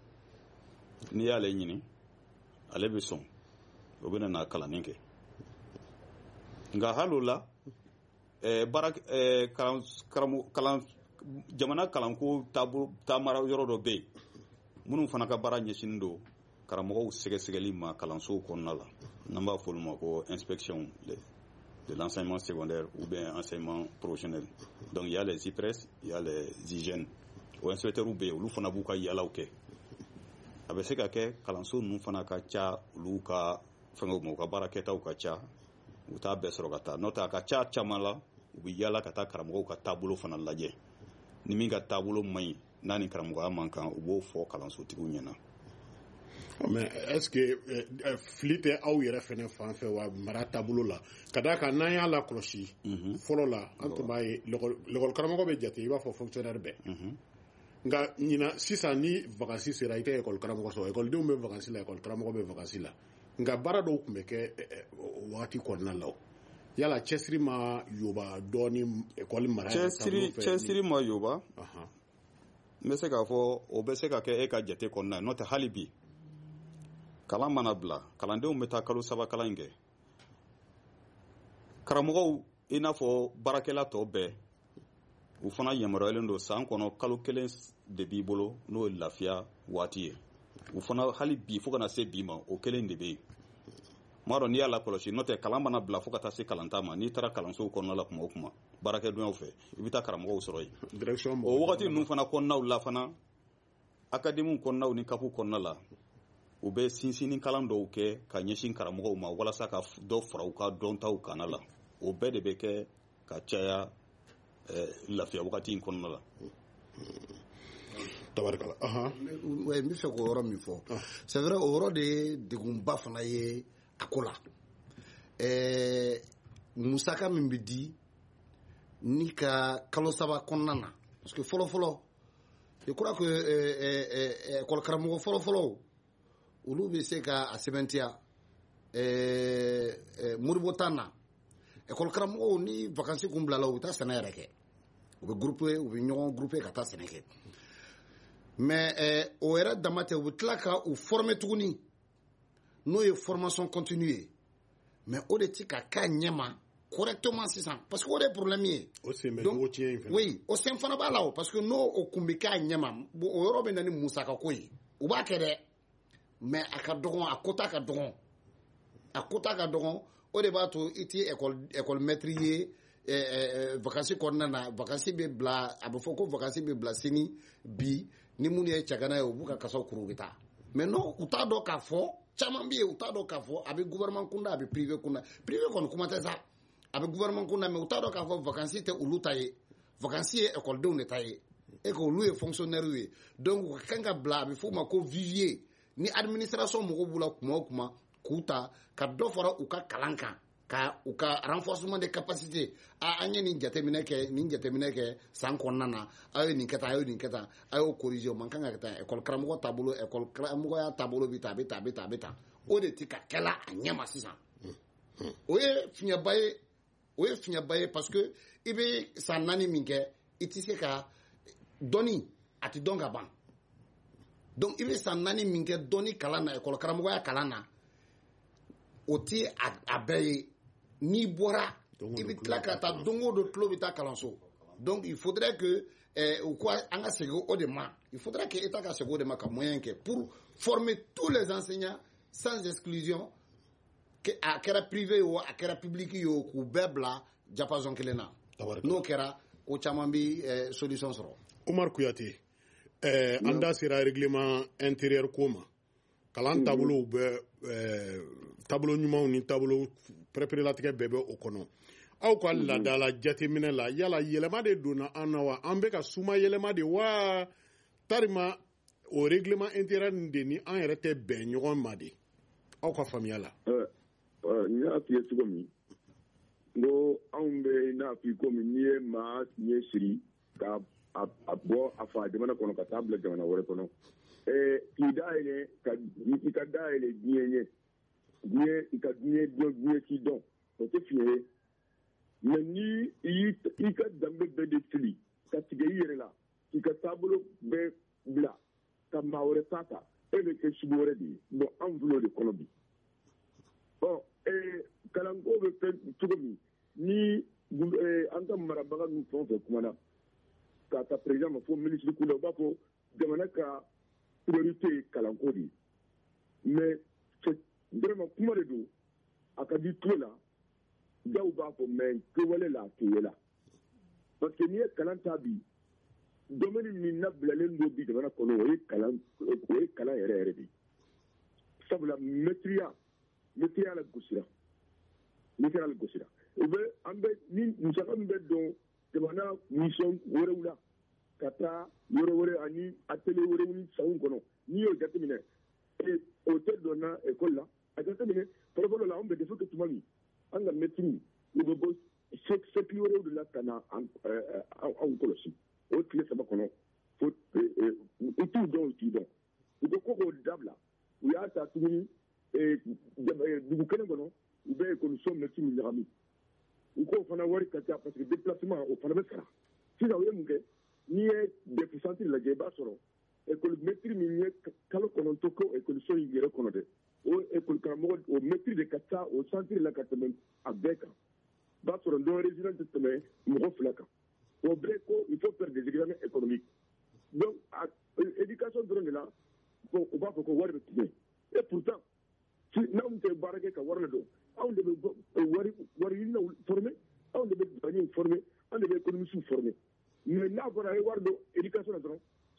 E: N'i y'ale ɲini, ale bɛ sɔn, o bɛ na kalanni kɛ. Nka hali o la, baara kalan kalan jamana kalanko taabolo taamara yɔrɔ dɔ bɛ yen minnu fana ka baara ɲɛsinnen don karamɔgɔw sɛgɛsɛgɛli ma kalansow kɔnɔna la, n'an b'a fɔ olu ma ko inspection de l'enseignement secondaire ou bien enseignement professionnel. Donc il y a les I P R E S, il y a les hygiènes. O inspecteurs bɛ yen, olu fana b'u ka yalaw kɛ. A bɛ se ka kɛ kalanso ninnu fana ka ca, olu ka fɛngɛw ma, u ka baarakɛtaw ka ca, u t'a bɛɛ sɔrɔ ka taa. N'o tɛ, a ka ca caman la, u bɛ yala ka taa karamɔgɔw ka taabolo fana lajɛ. Ni min ka taabolo man ɲi, n'a ni karamɔgɔya man kan, u b'o fɔ kalansotigiw ɲɛna.
C: Mais est-ce que fili tɛ aw yɛrɛ fɛnɛ fan fɛ wa, mara taabolo la? Ka d'a kan n'an y'a lakɔlɔsi, fɔlɔ la an tun b'a ye, lekɔli karamɔgɔ bɛ jate i b'a fɔ fonctionnaire bɛɛ. Nka ɲinan sisan ni vacances sera, i tɛ école karamɔgɔ sɔrɔ, écoledenw bɛ vacances la, école karamɔgɔ bɛ vacances la. Nka baara dɔw tun bɛ kɛ o wagati kɔnɔna la. O yala cɛsiri ma yoba dɔɔni école mara?
E: Cɛsiri cɛsiri ma yoba. N bɛ se k'a fɔ o bɛ se ka kɛ e ka jate kɔnɔna ye, n'o tɛ hali bi kalan mana bila, kalandenw bɛ taa kalo saba kalan in kɛ. Karamɔgɔw, i n'a fɔ baarakɛla tɔ bɛɛ, u fana yamaruyalen don san kɔnɔ kalo kelen de b'i bolo, n'o ye lafiya waati ye. U fana hali bi, fo kana se bi ma, o kelen de bɛ yen. M'a dɔn n'i y'a lakɔlɔsi, n'o tɛ kalan mana bila fo ka taa se kalanta ma, n'i taara kalansow kɔnɔna la kuma o kuma baarakɛdonyaw fɛ, i bɛ taa karamɔgɔw sɔrɔ yen. O wagati ninnu fana kɔnɔnaw la fana, akademiw kɔnɔnaw ni kapu kɔnɔna la, u bɛ sinsinni kalan dɔw kɛ ka ɲɛsin karamɔgɔw ma walasa ka dɔ fara u ka dɔntaw kana la. O bɛɛ de bɛ kɛ ka caya lafiya wagati in kɔnɔna la.
C: Tabarikala.
D: N bɛ fɛ k'o yɔrɔ min fɔ, c'est vrai, o yɔrɔ de ye degunba fana ye a ko la. Ɛɛ musaka min bɛ di ni ka kalo saba kɔnɔna na, parce que fɔlɔ fɔlɔ, je crois que école karamɔgɔ fɔlɔ fɔlɔw, olu bɛ se ka a sɛbɛntiya. Ɛɛ Modibo tan na, école karamɔgɔw ni vacances kun bilala, u bɛ taa sɛnɛ yɛrɛ kɛ, u bɛ groupe, u bɛ ɲɔgɔn groupe ka taa sɛnɛ kɛ. Mais o yɛrɛ dama tɛ, u bɛ tila ka u former tuguni, n'o ye formation continue ye. Mais o de ti ka k'a ɲɛma correctement sisan, parce que o de ye problème ye.
C: O sen bɛ jogo tiɲɛ in fana.
D: Oui, o sen fana b'a la o, parce que n'o o kun bɛ k'a ɲɛma, o yɔrɔ bɛ na ni musakako ye. U b'a kɛ dɛ, mais a ka dɔgɔn, a quota ka dɔgɔn, a quota ka dɔgɔn. O de b'a to i ti école école maître ye vacances kɔnɔna na. Vacances bɛ bila, a bɛ fɔ ko vacances bɛ bila sini bi, ni minnu ye cɛgana ye, u b'u ka kasaw kuru, u bɛ taa. Mais non, u t'a dɔn k'a fɔ, caman bɛ yen, u t'a dɔn k'a fɔ a bɛ gouvernement kunda, a bɛ privé kunda. Privé kɔni kuma tɛ sa, a bɛ gouvernement kunda, mais u t'a dɔn k'a fɔ vacances tɛ olu ta ye, vacances ye écoledenw de ta ye, et que olu ye fonctionnaire ye. Donc u ka kan ka bila, a bɛ f'o ma ko vivier, ni administration mɔgɔw b'u la kuma o kuma, k'u ta ka dɔ fara u ka kalan kan, ka u ka renforcement de capacité. A an ye nin jateminɛ kɛ, nin jateminɛ kɛ san kɔnɔna na, aw ye nin kɛ tan, aw ye nin kɛ tan, a y'o corriger, o man kan ka kɛ tan. École karamɔgɔ taabolo, école karamɔgɔya taabolo bɛ tan, a bɛ tan, a bɛ tan, a bɛ tan. O de ti ka kɛla a ɲɛ ma sisan. O ye fiɲɛba ye, o ye fiɲɛba ye, parce que i bɛ san naani min kɛ, i tɛ se ka dɔnni, a tɛ dɔn ka ban. Donc i bɛ san naani min kɛ dɔnni kalan na, école karamɔgɔya kalan na, o ti a bɛɛ ye. N'i bɔra, i bɛ tila ka taa don o don, tulo bɛ taa kalanso. Donc il faudrait que u ko an ka segin o de ma, il faudrait que État ka segin o de ma, ka moyen kɛ pour former tous les enseignants sans exclusion, a kɛra privé ye o, a kɛra public ye o, k'u bɛɛ bila diapason kelen na. N'o kɛra, ko caman bɛ solution sɔrɔ.
C: Umar Kuyate, an da sera règlement intérieur ko ma. Kalan taabolow bɛ, taabolo ɲumanw ni taabolo pɛrɛpɛrɛlatigɛ bɛɛ bɛ o kɔnɔ. Aw ka laadala jateminɛ la, yala yɛlɛma de donna an na wa? An bɛ ka suma yɛlɛma de wa? Tarima o règlement intérieur nin de ni an yɛrɛ tɛ bɛn ɲɔgɔn ma de, aw ka faamuya la?
F: N y'a f'i ye cogo min, n ko anw bɛ n'a f'i komi n'i ye maa ɲɛ siri ka a bɔ a fa jamana kɔnɔ ka taa bila jamana wɛrɛ kɔnɔ, k'i dayɛlɛ, ka i ka dayɛlɛ diɲɛ ɲɛ, diɲɛ i ka diɲɛ dɔn, diɲɛ k'i dɔn, o tɛ fiɲɛ ye. Mais ni i ka danbe bɛɛ de fili ka tigɛ i yɛrɛ la, k'i ka taabolo bɛɛ bila ka maa wɛrɛ ta ta, e bɛ kɛ sugu wɛrɛ de ye. Bon, anw filɛ o de kɔnɔ bi. Ɔ kalanko bɛ fɛn cogo min, ni an ka marabaga ninnu fɛn o fɛn kumana, k'a ta président ma fo ministre kunda, u b'a fɔ jamana ka priorité ye kalanko de ye. Mais vraiment kuma de don, a ka di tulo la, dɔw b'a fɔ, mais kɛwale la a tɛ ye la. Parce que n'i ye kalan ta bi, domaine min labilalen don bi jamana kɔnɔ, o ye kalan, o ye kalan yɛrɛ yɛrɛ de ye. Sabula mɛtiriya, mɛtiriya la gosira, mɛtiriya la gosira. U bɛ an bɛ ni musaka min bɛ don jamana mission wɛrɛw la ka taa yɔrɔ wɛrɛ ani atelier wɛrɛw ni sanw kɔnɔ, n'i y'o jateminɛ, o tɛ donna école la. A jateminɛ fɔlɔfɔlɔ la, anw bɛ dɛsɛ kɛ tuma min, an ka mɛtiriw u bɛ bɔ cercle wɛrɛw de la ka na anw kɔlɔsi. O tile saba kɔnɔ, Fo u t'u dɔn, u t'i dɔn. U ko ko k'o dabila. U y'a ta tuguni dugu kelen kɔnɔ, u bɛ ekɔliso mɛtiriw ɲagami. U k'o fana wari ka ca parce que déplacement o fana bɛ sara. Sisan u ye mun kɛ? N'i ye D E F centre lajɛ, i b'a sɔrɔ école mɛtiri min ye kalo kɔnɔntɔn kɛ ekɔliso in yɛrɛ kɔnɔ dɛ, o école karamɔgɔ, o mɛtiri de ka ca o centre la ka tɛmɛ a bɛɛ kan. I b'a sɔrɔ non résident tɛ tɛmɛ mɔgɔ fila kan. O bɛɛ ko il faut faire des examens économiques. Donc éducation dɔrɔn de la, bon, u b'a fɔ ko wari bɛ tigɛ. Et pourtant n'anw tɛ baara kɛ ka wari ladon, anw de bɛ wari wari ɲininaw former, anw de bɛ douaniers former, anw de bɛ économistes former. Mais n'a fɔra a ye wari don éducation na dɔrɔn,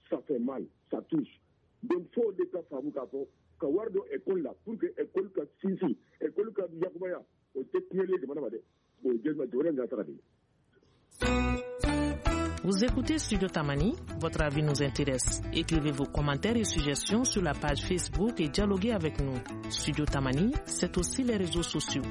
F: ça fait mal, ça touche. Donc fo de ka faamu k'a fɔ ka wari don école la pour que école ka sinsin, école ka yakubaya, o tɛ tiɲɛli ye jamana ma dɛ, o ye jamana in ka sara de ye.
A: Vous écoutez Studio Tamani, votre avis nous intéresse. Écrivez vos commentaires et suggestions sur la page Facebook et dialoguez avec nous. Studio Tamani, c'est aussi les réseaux sociaux.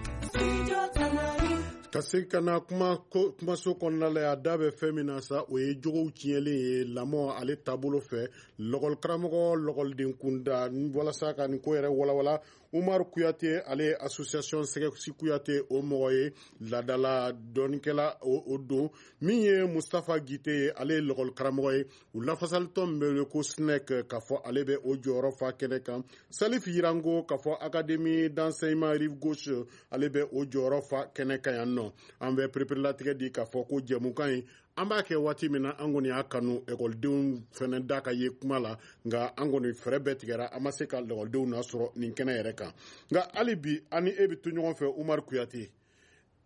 C: Ka se ka na kuma kumaso kɔnɔna la, a da bɛ fɛn min na sa, o ye jogow tiɲɛlen ye lamɔ ale taabolo fɛ, lɔgɔli karamɔgɔ, lɔgɔliden kunda. Walasa ka nin ko yɛrɛ walawala, Umaru Kuyate, ale ye association Sɛgɛsi Kuyate o mɔgɔ ye, ladala dɔnnikɛla o don. Min ye Mustafa Gite ye, ale ye lɔgɔli karamɔgɔ ye, u lafasalitɔn min bɛ wele ko SNEC, k'a fɔ ale bɛ o jɔyɔrɔ fa kɛnɛ kan. Salif Yirango, k'a fɔ académie d'enseignement Rive Gauche, ale bɛ o jɔyɔrɔ fa kɛnɛ kan yan nɔ. An bɛ pereperelatigɛ di k'a fɔ ko jɛmukan ye an b'a kɛ waati min na, an kɔni y'a kanu ekɔlidenw fɛnɛ da ka ye kuma la, nka an kɔni fɛɛrɛ bɛɛ tigɛra, an ma se ka lakɔlidenw nasɔrɔ nin kɛnɛ yɛrɛ kan. Nka hali bi, an ni e bɛ to ɲɔgɔn fɛ, Umaru Kuyate,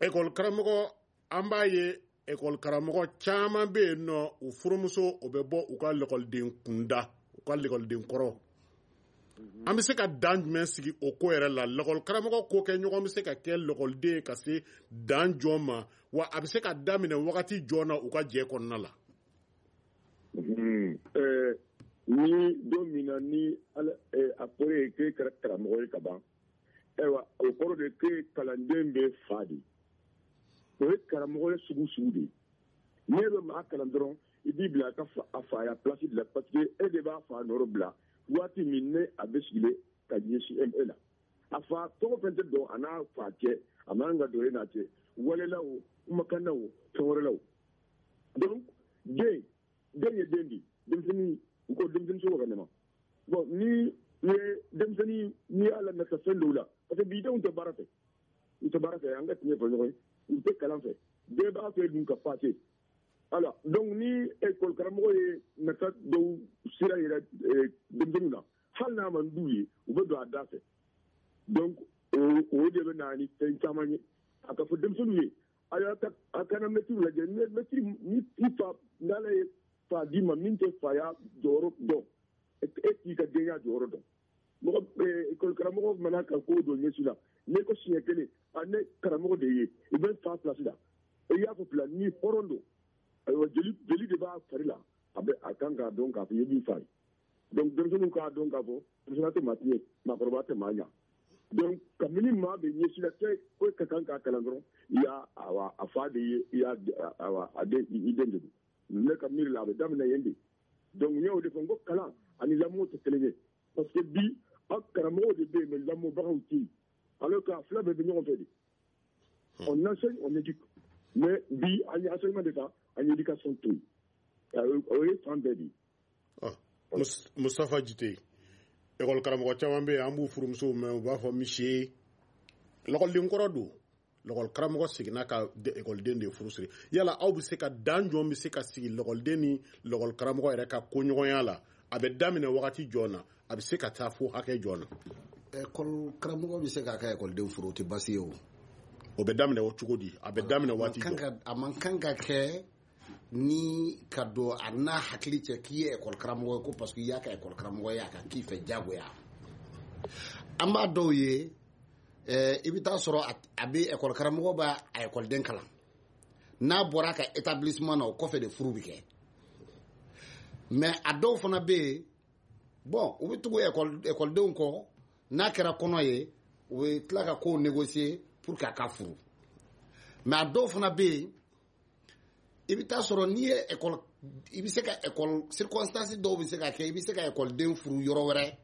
C: ekɔli karamɔgɔ. An b'a ye ekɔli karamɔgɔ caman bɛ yen nɔ, u furumuso o bɛ bɔ u ka lakɔliden kunda, u ka lakɔliden kɔrɔ. An bɛ se ka dan jumɛn sigi o ko yɛrɛ la? Lakɔli karamɔgɔ ko kɛ ɲɔgɔn bɛ se ka kɛ lakɔliden ka se dan jɔn ma wa? A bɛ se ka daminɛ wagati jɔn na u ka jɛ kɔnɔna la?
F: Ni don min na ni a fɔra ye k'e kɛra karamɔgɔ ye ka ban, ayiwa, o kɔrɔ de k'e kalanden bɛ fa de, o ye karamɔgɔ ye sugu sugu de ye. N'e bɛ maa kalan dɔrɔn, i b'i bila a ka a faya place de la, parce que e de b'a fa nɔrɔ bila waati min ne a bɛ sigilen ka ɲɛsin e la. A fa tɔgɔ fɛn tɛ dɔn a n'a fa cɛ, a man ka don e n'a cɛ, walela o, kumakan na o, fɛn wɛrɛ la o. Donc den den ye den di, denmisɛnnin, u ko denmisɛnnin sogo ka nɛma. Bon, ni ye denmisɛnnin, n'i y'a lamɛn fɛn dɔw la, parce que bi denw tɛ baara fɛ, u tɛ baara fɛ, an ka tiɲɛ fɔ ɲɔgɔn ye, u tɛ kalan fɛ, bɛɛ b'a fɛ dun ka passer. Alors donc ni école karamɔgɔ ye nata dɔw sira yɛrɛ denmisɛnninw na, hali n'a man d'u ye, u bɛ don a da fɛ. Donc o de bɛ na ni fɛn caman ye. A ka fɔ denmisɛnninw ye, a y'a ka a kana mɛtiriw lajɛ. Mɛtiri ni i fa, n'ala ye fa d'i ma min tɛ faya jɔyɔrɔ dɔn, e t'i ka denya jɔyɔrɔ dɔn. Mɔgɔ école karamɔgɔ mana ka ko dɔ ɲɛsin la, n'e ko siɲɛ kelen a ne karamɔgɔ de ye, i bɛ fa place la, i y'a fɔ fila ni hɔrɔn don, ayiwa, jeli jeli de b'a fari la, a bɛ a kan k'a dɔn k'a fɔ i ye min fa ye. Donc denmisɛnninw k'a dɔn k'a fɔ denmisɛnnin tɛ maa tiɲɛ, maakɔrɔba tɛ maa ɲa. Donc kabini maa bɛ ɲɛsin la cɛ ko ka kan k'a kalan dɔrɔn, i y'a awa a fa de ye, i y'a awa a den, i den de don. Ne ka miiri la, a bɛ daminɛ yen de. Donc n y'o de fɔ n ko kalan ani lamɔ tɛ kelen ye, parce que bi aw karamɔgɔw de bɛ yen, mais lamɔbagaw tɛ yen, alors que a fila bɛɛ bɛ ɲɔgɔn fɛ de. On enseigne, on éduque, mais bi an ye enseignement de ta, an ye éducation to yen, o ye fan bɛɛ de ye.
C: Mustafa Jite, ekɔli karamɔgɔ caman bɛ yen, an b'u furumusow mɛn, u b'a fɔ misi lakɔliden kɔrɔ don, lakɔli karamɔgɔ seginna ka ekɔliden de furu siri. Yala aw bɛ se ka dan jɔn bɛ se ka sigi lakɔliden ni lakɔli karamɔgɔ yɛrɛ ka koɲɔgɔnya la? A bɛ daminɛ wagati jɔn na? A bɛ se ka taa fo hakɛ jɔn na?
D: Ekɔli karamɔgɔ bɛ se k'a ka ekɔliden furu, o tɛ baasi ye o.
C: O bɛ daminɛ o cogo di? A bɛ daminɛ waati jɔn?
D: A man kan ka kɛ ni ka don a n'a hakili cɛ k'i ye ekɔli karamɔgɔ ye, ko parce que i y'a ka ekɔli karamɔgɔ ye, a ka k'i fɛ diyagoya. An b'a dɔw ye, i bɛ taa sɔrɔ a bɛ ekɔli karamɔgɔ b'a a ekɔliden kalan, n'a bɔra a ka établissement na, o kɔfɛ de furu bɛ kɛ. Mais a dɔw fana bɛ yen, bon, u bɛ tugu ekɔlidenw kɔ, n'a kɛra kɔnɔ ye, u bɛ tila ka kow négocier pour que a ka furu. Mais a dɔw fana bɛ yen, i bɛ taa sɔrɔ n'i ye ekɔli i bɛ se ka école circonstance dɔw bɛ se ka kɛ, i bɛ se ka école furu yɔrɔ wɛrɛ,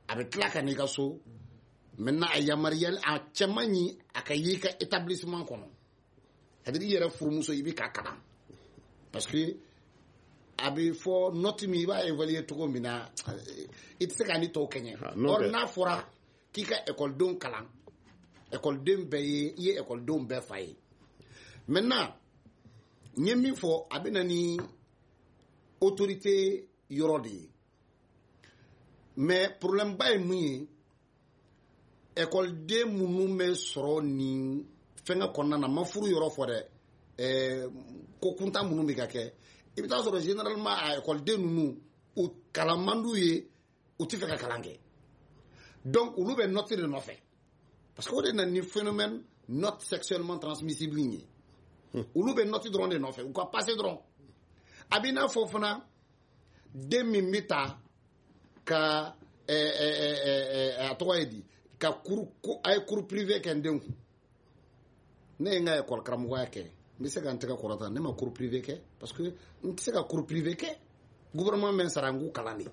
D: a bɛ tila ka n'i ka so. Maintenant a yamaruyali a cɛ man ɲi a ka y'i ka établissement kɔnɔ, c'est-à-dire i yɛrɛ furumuso i bɛ k'a kalan, parce que a bɛ fɔ note min i b'a évaluer cogo min na, i tɛ se k'a ni tɔw kɛɲɛ. Or n'a fɔra k'i ka écoledenw kalan, écoleden bɛɛ ye, i ye écoledenw bɛɛ fa ye. Maintenant n ye min fɔ, a bɛ na ni autorité yɔrɔ de ye, mais problème ba ye mun ye, écoleden minnu bɛ sɔrɔ nin fɛngɛ kɔnɔna na, ma furu yɔrɔ fɔ dɛ, ɛɛ ko kuntan minnu bɛ ka kɛ, i bɛ taa sɔrɔ généralement a écoleden ninnu u kalan man d'u ye, u tɛ fɛ ka kalan kɛ, donc olu bɛ note de nɔfɛ, parce que o de nana ni phénomène note sexuellement transmissible in ye. Olu bɛ note dɔrɔn de nɔfɛ, u ka passer dɔrɔn. A b'i n'a fɔ fana den min bɛ ta ka ɛɛ ɛɛ a tɔgɔ ye di, ka cours, a ye cours privé kɛ n den kun. Ne ye n ka école karamɔgɔya kɛ, n bɛ se ka n tɛgɛ kɔrɔta, ne ma cours privé kɛ, parce que n tɛ se ka cours privé kɛ, gouvernement bɛ n sara n k'u kalan de.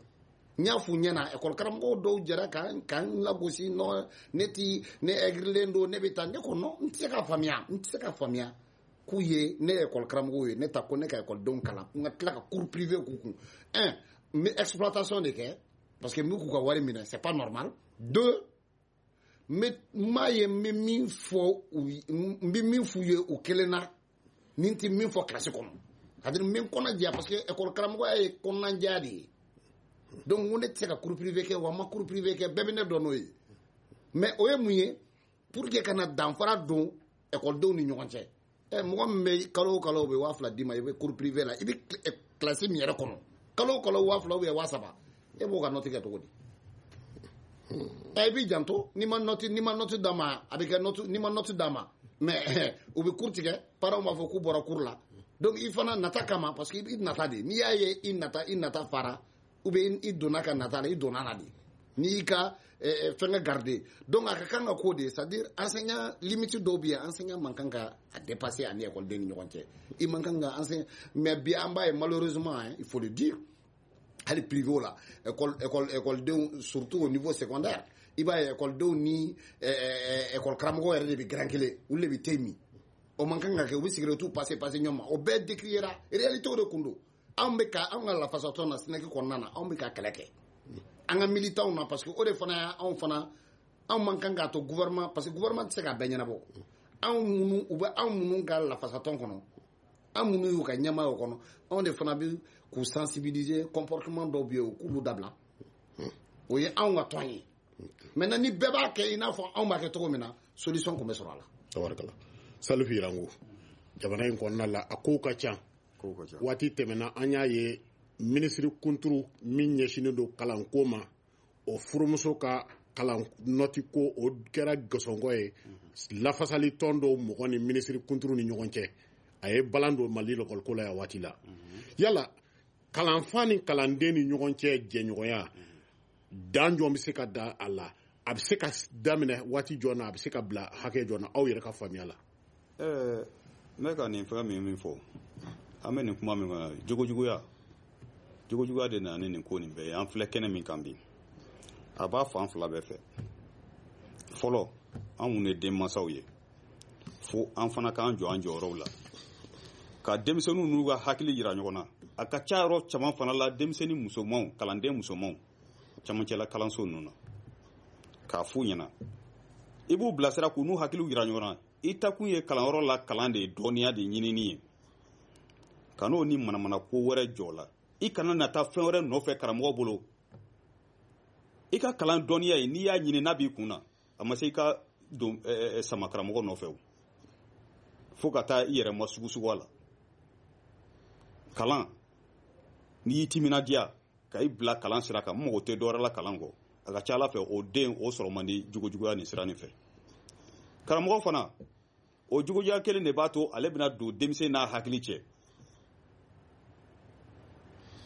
D: N y'a f'u ɲɛna, école karamɔgɔw dɔw jɛra ka n lagosi, non ne ti ne aigrilen don, ne bɛ taa, ne ko non, n tɛ se k'a faamuya, n tɛ se k'a faamuya k'u ye ne ye école karamɔgɔw ye, ne ta ko ne ka écoledenw kalan, n ka tila ka cours privé k'u kun. Un, n bɛ exploitation de kɛ, parce que n bɛ k'u ka wari minɛ, c'est pas normal. Deux, n bɛ n m'a ye n bɛ min fɔ u n bɛ min f'u ye o kelen na, ni n tɛ min fɔ kilasi kɔnɔ, c'est-à-dire n bɛ n kɔnɔ jɛya, parce que école karamɔgɔya ye kɔnɔnajɛya de ye. Donc n ko ne tɛ se ka cours privé kɛ, wa n ma cours privé kɛ, bɛɛ bɛ ne dɔn n'o ye. Mais o ye mun ye, pour que ka na danfara don écoledenw ni ɲɔgɔn cɛ. Ɛ mɔgɔ min bɛ kalo o kalo o bɛ waa fila d'i ma, i bɛ cours privé la, i bɛ kilasi min yɛrɛ kɔnɔ, kalo o kalo waa fila ou bien waa saba, e b'o ka note kɛ cogo di? Ɛ i b'i janto, n'i ma note n'i ma note d'a ma, a bɛ kɛ note, n'i ma note d'a ma, mais u bɛ cours tigɛ, parents b'a fɔ k'u bɔra cours la. Donc i fana nata kama, parce que i nata de, n'i y'a ye i nata i nata fara, ou bien i donna ka nata la, i donna la de, n'i y'i ka fɛngɛ garder. Donc a ka kan ka k'o de ye, c'est-à-dire enseignant limite dɔw bɛ yen, enseignant man kan ka a dépasser ani écoleden ni ɲɔgɔn cɛ, i man kan ka enseignant. Mais bi an b'a ye malheureusement, hein, il faut le dire, hali privé la, école école écoledenw surtout au niveau secondaire, i b'a ye écoledenw ni école karamɔgɔ yɛrɛ de bɛ garan kelen, olu de bɛ te min. O man kan ka kɛ, u bɛ cigarette passer passer ɲɔgɔn ma, o bɛɛ décriera, réalité o de kun don. Anw bɛ ka anw ka lafasatɔn na SYNEC kɔnɔna na, anw bɛ ka kɛlɛ kɛ an ka militants na, parce que o de fana y'anw fana, anw man kan k'a to gouvernement, parce que gouvernement tɛ se k'a bɛɛ ɲɛnabɔ. Anw minnu u bɛ anw minnu ka lafasatɔn kɔnɔ, an minnu y'u ka ɲɛmaa o kɔnɔ, anw de fana bɛ k'u sensibiliser, comportement dɔw bɛ yen u k'olu dabila, o ye anw ka tɔn ye. Maintenant ni bɛɛ b'a kɛ i n'a fɔ anw b'a kɛ cogo min na, solution kun bɛ sɔrɔ a la.
C: Tabarikala. Salifu Yirango, jamana in kɔnɔna la a kow ka ca. Waati tɛmɛna an y'a ye minisiri kunturu min ɲɛsinnen don kalanko ma, o furumuso ka kalan nɔti ko o kɛra gɔsɔngɔ ye, lafasali tɔn dɔw mɔgɔ ni minisiri kunturu ni ɲɔgɔn cɛ, a ye balan don Mali lɔkɔliko la yan waati la. Yala kalanfa ni kalanden ni ɲɔgɔn cɛ jɛɲɔgɔnya dan jɔn bɛ se ka da a la, a bɛ se ka daminɛ waati jɔn na, a bɛ se ka bila hakɛ jɔn na, aw yɛrɛ ka faamuya la?
E: Ɛɛ n bɛ ka nin fɛn min min fɔ, an bɛ nin kuma min kɔnɔ, jogojuguya jogojuguya de nana ni nin ko nin bɛɛ ye. An filɛ kɛnɛ min kan bi, a b'a fan fila bɛɛ fɛ. Fɔlɔ, an minnu ye denmansaw ye, fo an fana k'an jɔ an jɔyɔrɔw la, ka denmisɛnninw n'u ka hakili yira ɲɔgɔn na. A ka ca yɔrɔ caman fana la, denmisɛnnin musomanw, kalanden musomanw camancɛla kalanso ninnu na, k'a f'u ɲɛna, i b'u bilasira k'u n'u hakiliw yira ɲɔgɔn na. I takun ye kalanyɔrɔ la kalan de ye, dɔnniya de ɲinini ye, ka n'o ni manamana ko wɛrɛ jɔ la. I kana na taa fɛn wɛrɛ nɔfɛ karamɔgɔ bolo. I ka kalan dɔnniya ye, n'i y'a ɲini n'a b'i kun na, a ma se i ka don sama karamɔgɔ nɔfɛ o, fo ka taa i yɛrɛ ma sugusugu a la. Kalan, n'i y'i timinadiya ka i bila kalan sira kan, n mago tɛ dɔwɛrɛ la kalan kɔ, a ka ca ala fɛ o den o sɔrɔ man di jogojuguya nin sira nin fɛ. Karamɔgɔ fana, o jogojuguya kelen de b'a to ale bɛna don denmisɛn n'a hakili cɛ.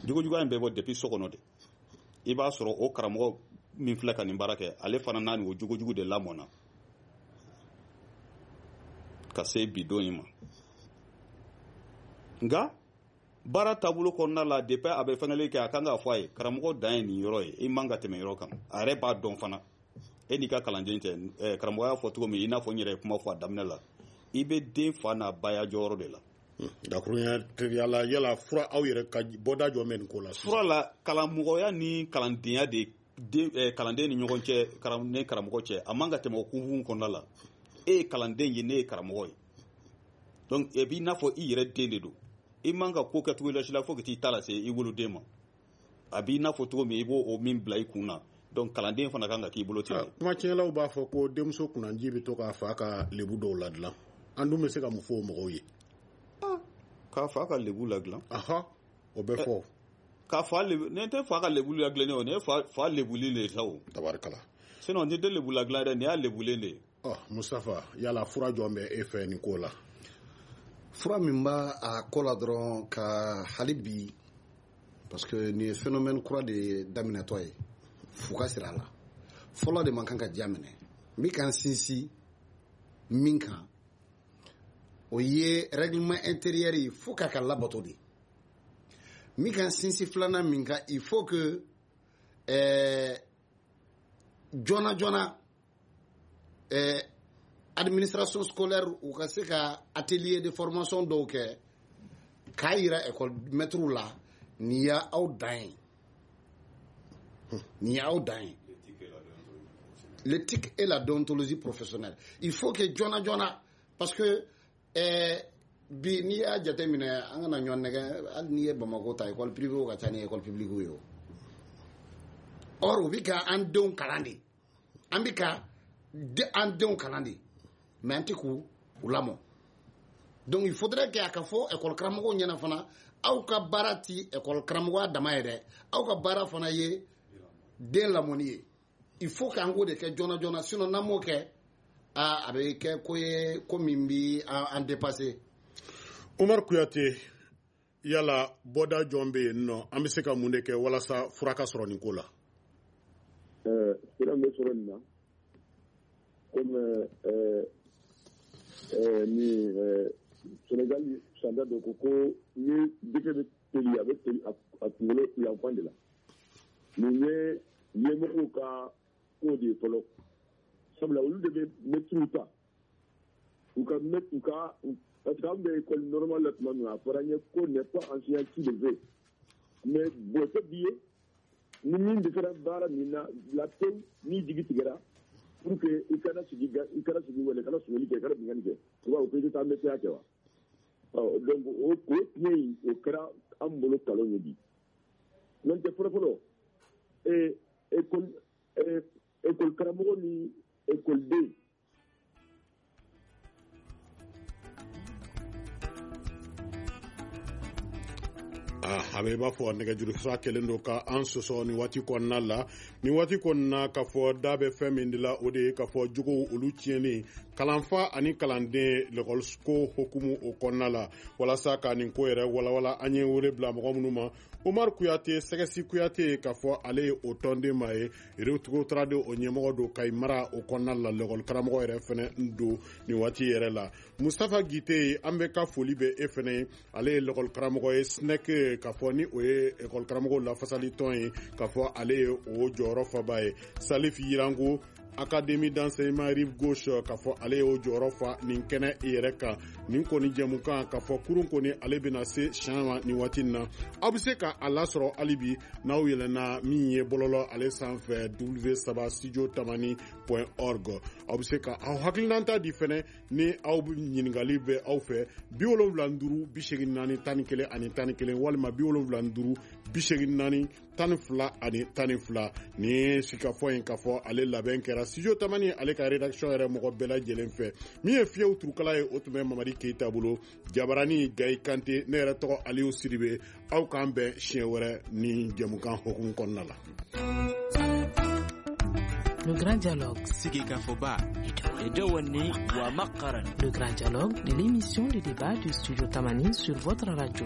E: Jogojuguya in bɛ bɔ depuis so kɔnɔ de. I b'a sɔrɔ o karamɔgɔ min filɛ ka nin baara kɛ, ale fana n'a ni o jogojugu de lamɔna ka se bi don in ma. Nka Baara taabolo kɔnɔna la, depuis a bɛ fɛngɛli kɛ, a kan k'a fɔ a ye karamɔgɔ dan ye nin yɔrɔ ye, i man ka tɛmɛ yɔrɔ kan. A yɛrɛ b'a dɔn fana, e n'i ka kalanden tɛ. Karamɔgɔ y'a fɔ cogo min, i n'a fɔ n yɛrɛ ye kuma fɔ a daminɛ la, i bɛ den fa n'a baya jɔyɔrɔ de la.
C: Dakurunya teliya la, yala fura aw yɛrɛ ka bɔda jɔ bɛ nin ko la?
E: Fura la, kalanmɔgɔya ni kalandenya de den kalanden ni ɲɔgɔn cɛ, karam ne karamɔgɔ cɛ, a man ka tɛmɛ o kunfun kɔnɔna la. E ye kalanden ye, ne ye karamɔgɔ ye. Donc e b'i n'a fɔ i yɛrɛ den de don. I man ka ko kɛ cogo la si la fo ka t'i ta lase i woloden ma. A b'i n'a fɔ cogo min, i b'o o min bila i kun na. Donc kalanden fana kan ka k'i bolo ten.
C: Kuma tiɲɛlaw b'a fɔ ko denmuso kunnanji bɛ to k'a fa ka lebu dɔw ladilan. An dun bɛ se ka mun fɔ o mɔgɔw ye?
E: K'a fa ka lebu ladilan?
C: Aha, o bɛ fɔ.
E: K'a fa lebu, ne tɛ fa ka lebu ladilan o, ne ye fa fa lebuli de sa o.
C: Tabarikala.
E: Sinon ni tɛ lebu ladilan dɛ, nin y'a lebulen de ye.
C: Ɔ Mustafa, yala fura jɔn bɛ e fɛ nin ko la?
D: Fura min b'a a ko la dɔrɔn ka hali bi, parce que nin ye phénomène kura de daminɛtɔ ye, f'u ka sira la. Fɔlɔ de man kan ka diya minɛ. N bɛ ka n sinsin min kan, o ye règlement intérieur ye, fo k'a ka labato de. N bɛ ka n sinsin filanan min kan, il faut que ɛɛ joona joona ɛɛ administration scolaire u ka se ka atelier de formation dɔw kɛ k'a yira école maître la, nin y'aw dan ye, nin y'aw dan ye. L'éthique et la déontologie professionnelle, il faut que joona joona, parce que eh, bi n'i y'a jateminɛ, an kana ɲɔgɔn nɛgɛ, hali n'i ye Bamakɔ ta, école privée ka ca ni école publique ye o. Or u bɛ ka an denw kalan de, an bɛ ka an denw kalan de, mais an tɛ k'u lamɔ. Donc il faudrait que a ka fɔ école karamɔgɔw ɲɛna fana, aw ka baara ti école karamɔgɔya dama ye dɛ, aw ka baara fana ye den lamɔni ye. Il faut k'an k'o de kɛ joona joona, sinon n'an m'o kɛ, a a bɛ kɛ ko ye ko min bi an dépasser.
C: Umar Kuyate, yala bɔda jɔn bɛ yen nɔ, an bɛ se ka mun de kɛ walasa fura ka sɔrɔ nin ko la?
F: Ɛɛ fura bɛ sɔrɔ nin na, komi ɛɛ ɛɛ ni ɛɛ Senegal sanda dɔ ko ko ni jɛgɛ bɛ teli, a bɛ teli a kunkolo yanfan de la. Nin ye ɲɛmɔgɔw ka ko de ye fɔlɔ, sabula olu de bɛ mɛtiriw ta u ka mɛ u ka, parce que an bɛ école normale la tuma min na, a fɔra an ye ko n'est pas enseignant qui le veut, mais bon tɛ bi ye ni min dɛsɛra baara min na la pewu, n'i jigi tigɛra pour que i kana sigi i kana sigi wala i kana sonyali kɛ, i kana binkanni kɛ, u b'a fɔ ko i tɛ taa mɛtiriya kɛ wa? Ɔ donc o o tiɲɛ in, o kɛra an bolo kalon ye bi. N'o tɛ fɔlɔ fɔlɔ, ee école école karamɔgɔ ni école den.
C: A bɛ i b'a fɔ nɛgɛjuru sira kɛlen don ka an sɔsɔ nin waati kɔnɔna la. Nin waati kɔnɔna, k'a fɔ da bɛ fɛn min de la, o de ye k'a fɔ jogow olu tiɲɛni kalanfa ani kalanden lɛkɔliko hukumu o kɔnɔna la. Walasa ka nin ko yɛrɛ walawala, an ye wele bila mɔgɔ minnu ma, Umar Kuyate, Sɛgɛsi Kuyate, k'a fɔ ale ye o tɔnden maa ye, Yɛrɛtogo o ɲɛmɔgɔ don Kayi mara o kɔnɔna la, lɛkɔli karamɔgɔ yɛrɛ fɛnɛ don nin waati yɛrɛ la. Mustafa Gite, an bɛ ka foli bɛ e fɛnɛ ye, ale ye lɛkɔli karamɔgɔ ye SNEC, k'a fɔ ni o ye ekɔli karamɔgɔw lafasali tɔn ye, k'a fɔ ale ye o jɔyɔrɔ faba ye. Salif Yirango, Académie d'enseignement Rive Gauche, k'a fɔ ale y'o jɔyɔrɔ fa nin kɛnɛ yɛrɛ kan. Nin kɔni jɛmukan, k'a fɔ kurun kɔni ale bɛna se siɲɛ ma nin waati in na. Aw bɛ se ka a lasɔrɔ hali bi n'aw yɛlɛnna min ye bɔlɔlɔ ale sanfɛ, w saba studio tamani point org. Aw bɛ se ka aw hakilinata di fɛnɛ ni aw ɲininkali bɛ aw fɛ, bi wolonwula ni duuru bi seegin naani tan ni kelen ani tan ni kelen, walima bi wolonwula ni duuru bi seegin naani tan ni fila ani tan ni fila. Nin sigikafɔ in, k'a fɔ ale labɛn kɛra Studio Tamani ale ka rédaction yɛrɛ mɔgɔ bɛɛ lajɛlen fɛ. Min ye fiyew turukala ye, o tun bɛ Mamadi Keyita bolo, jabarani Gayi Kante, ne yɛrɛ tɔgɔ Aliyu Sidibe. Aw k'an bɛn siɲɛ wɛrɛ ni jɛmukan hukumu kɔnɔna la.
A: Le Grand Dialogue. Le Grand Dialogue, de l'émission de débat du Studio Tamani sur votre radio.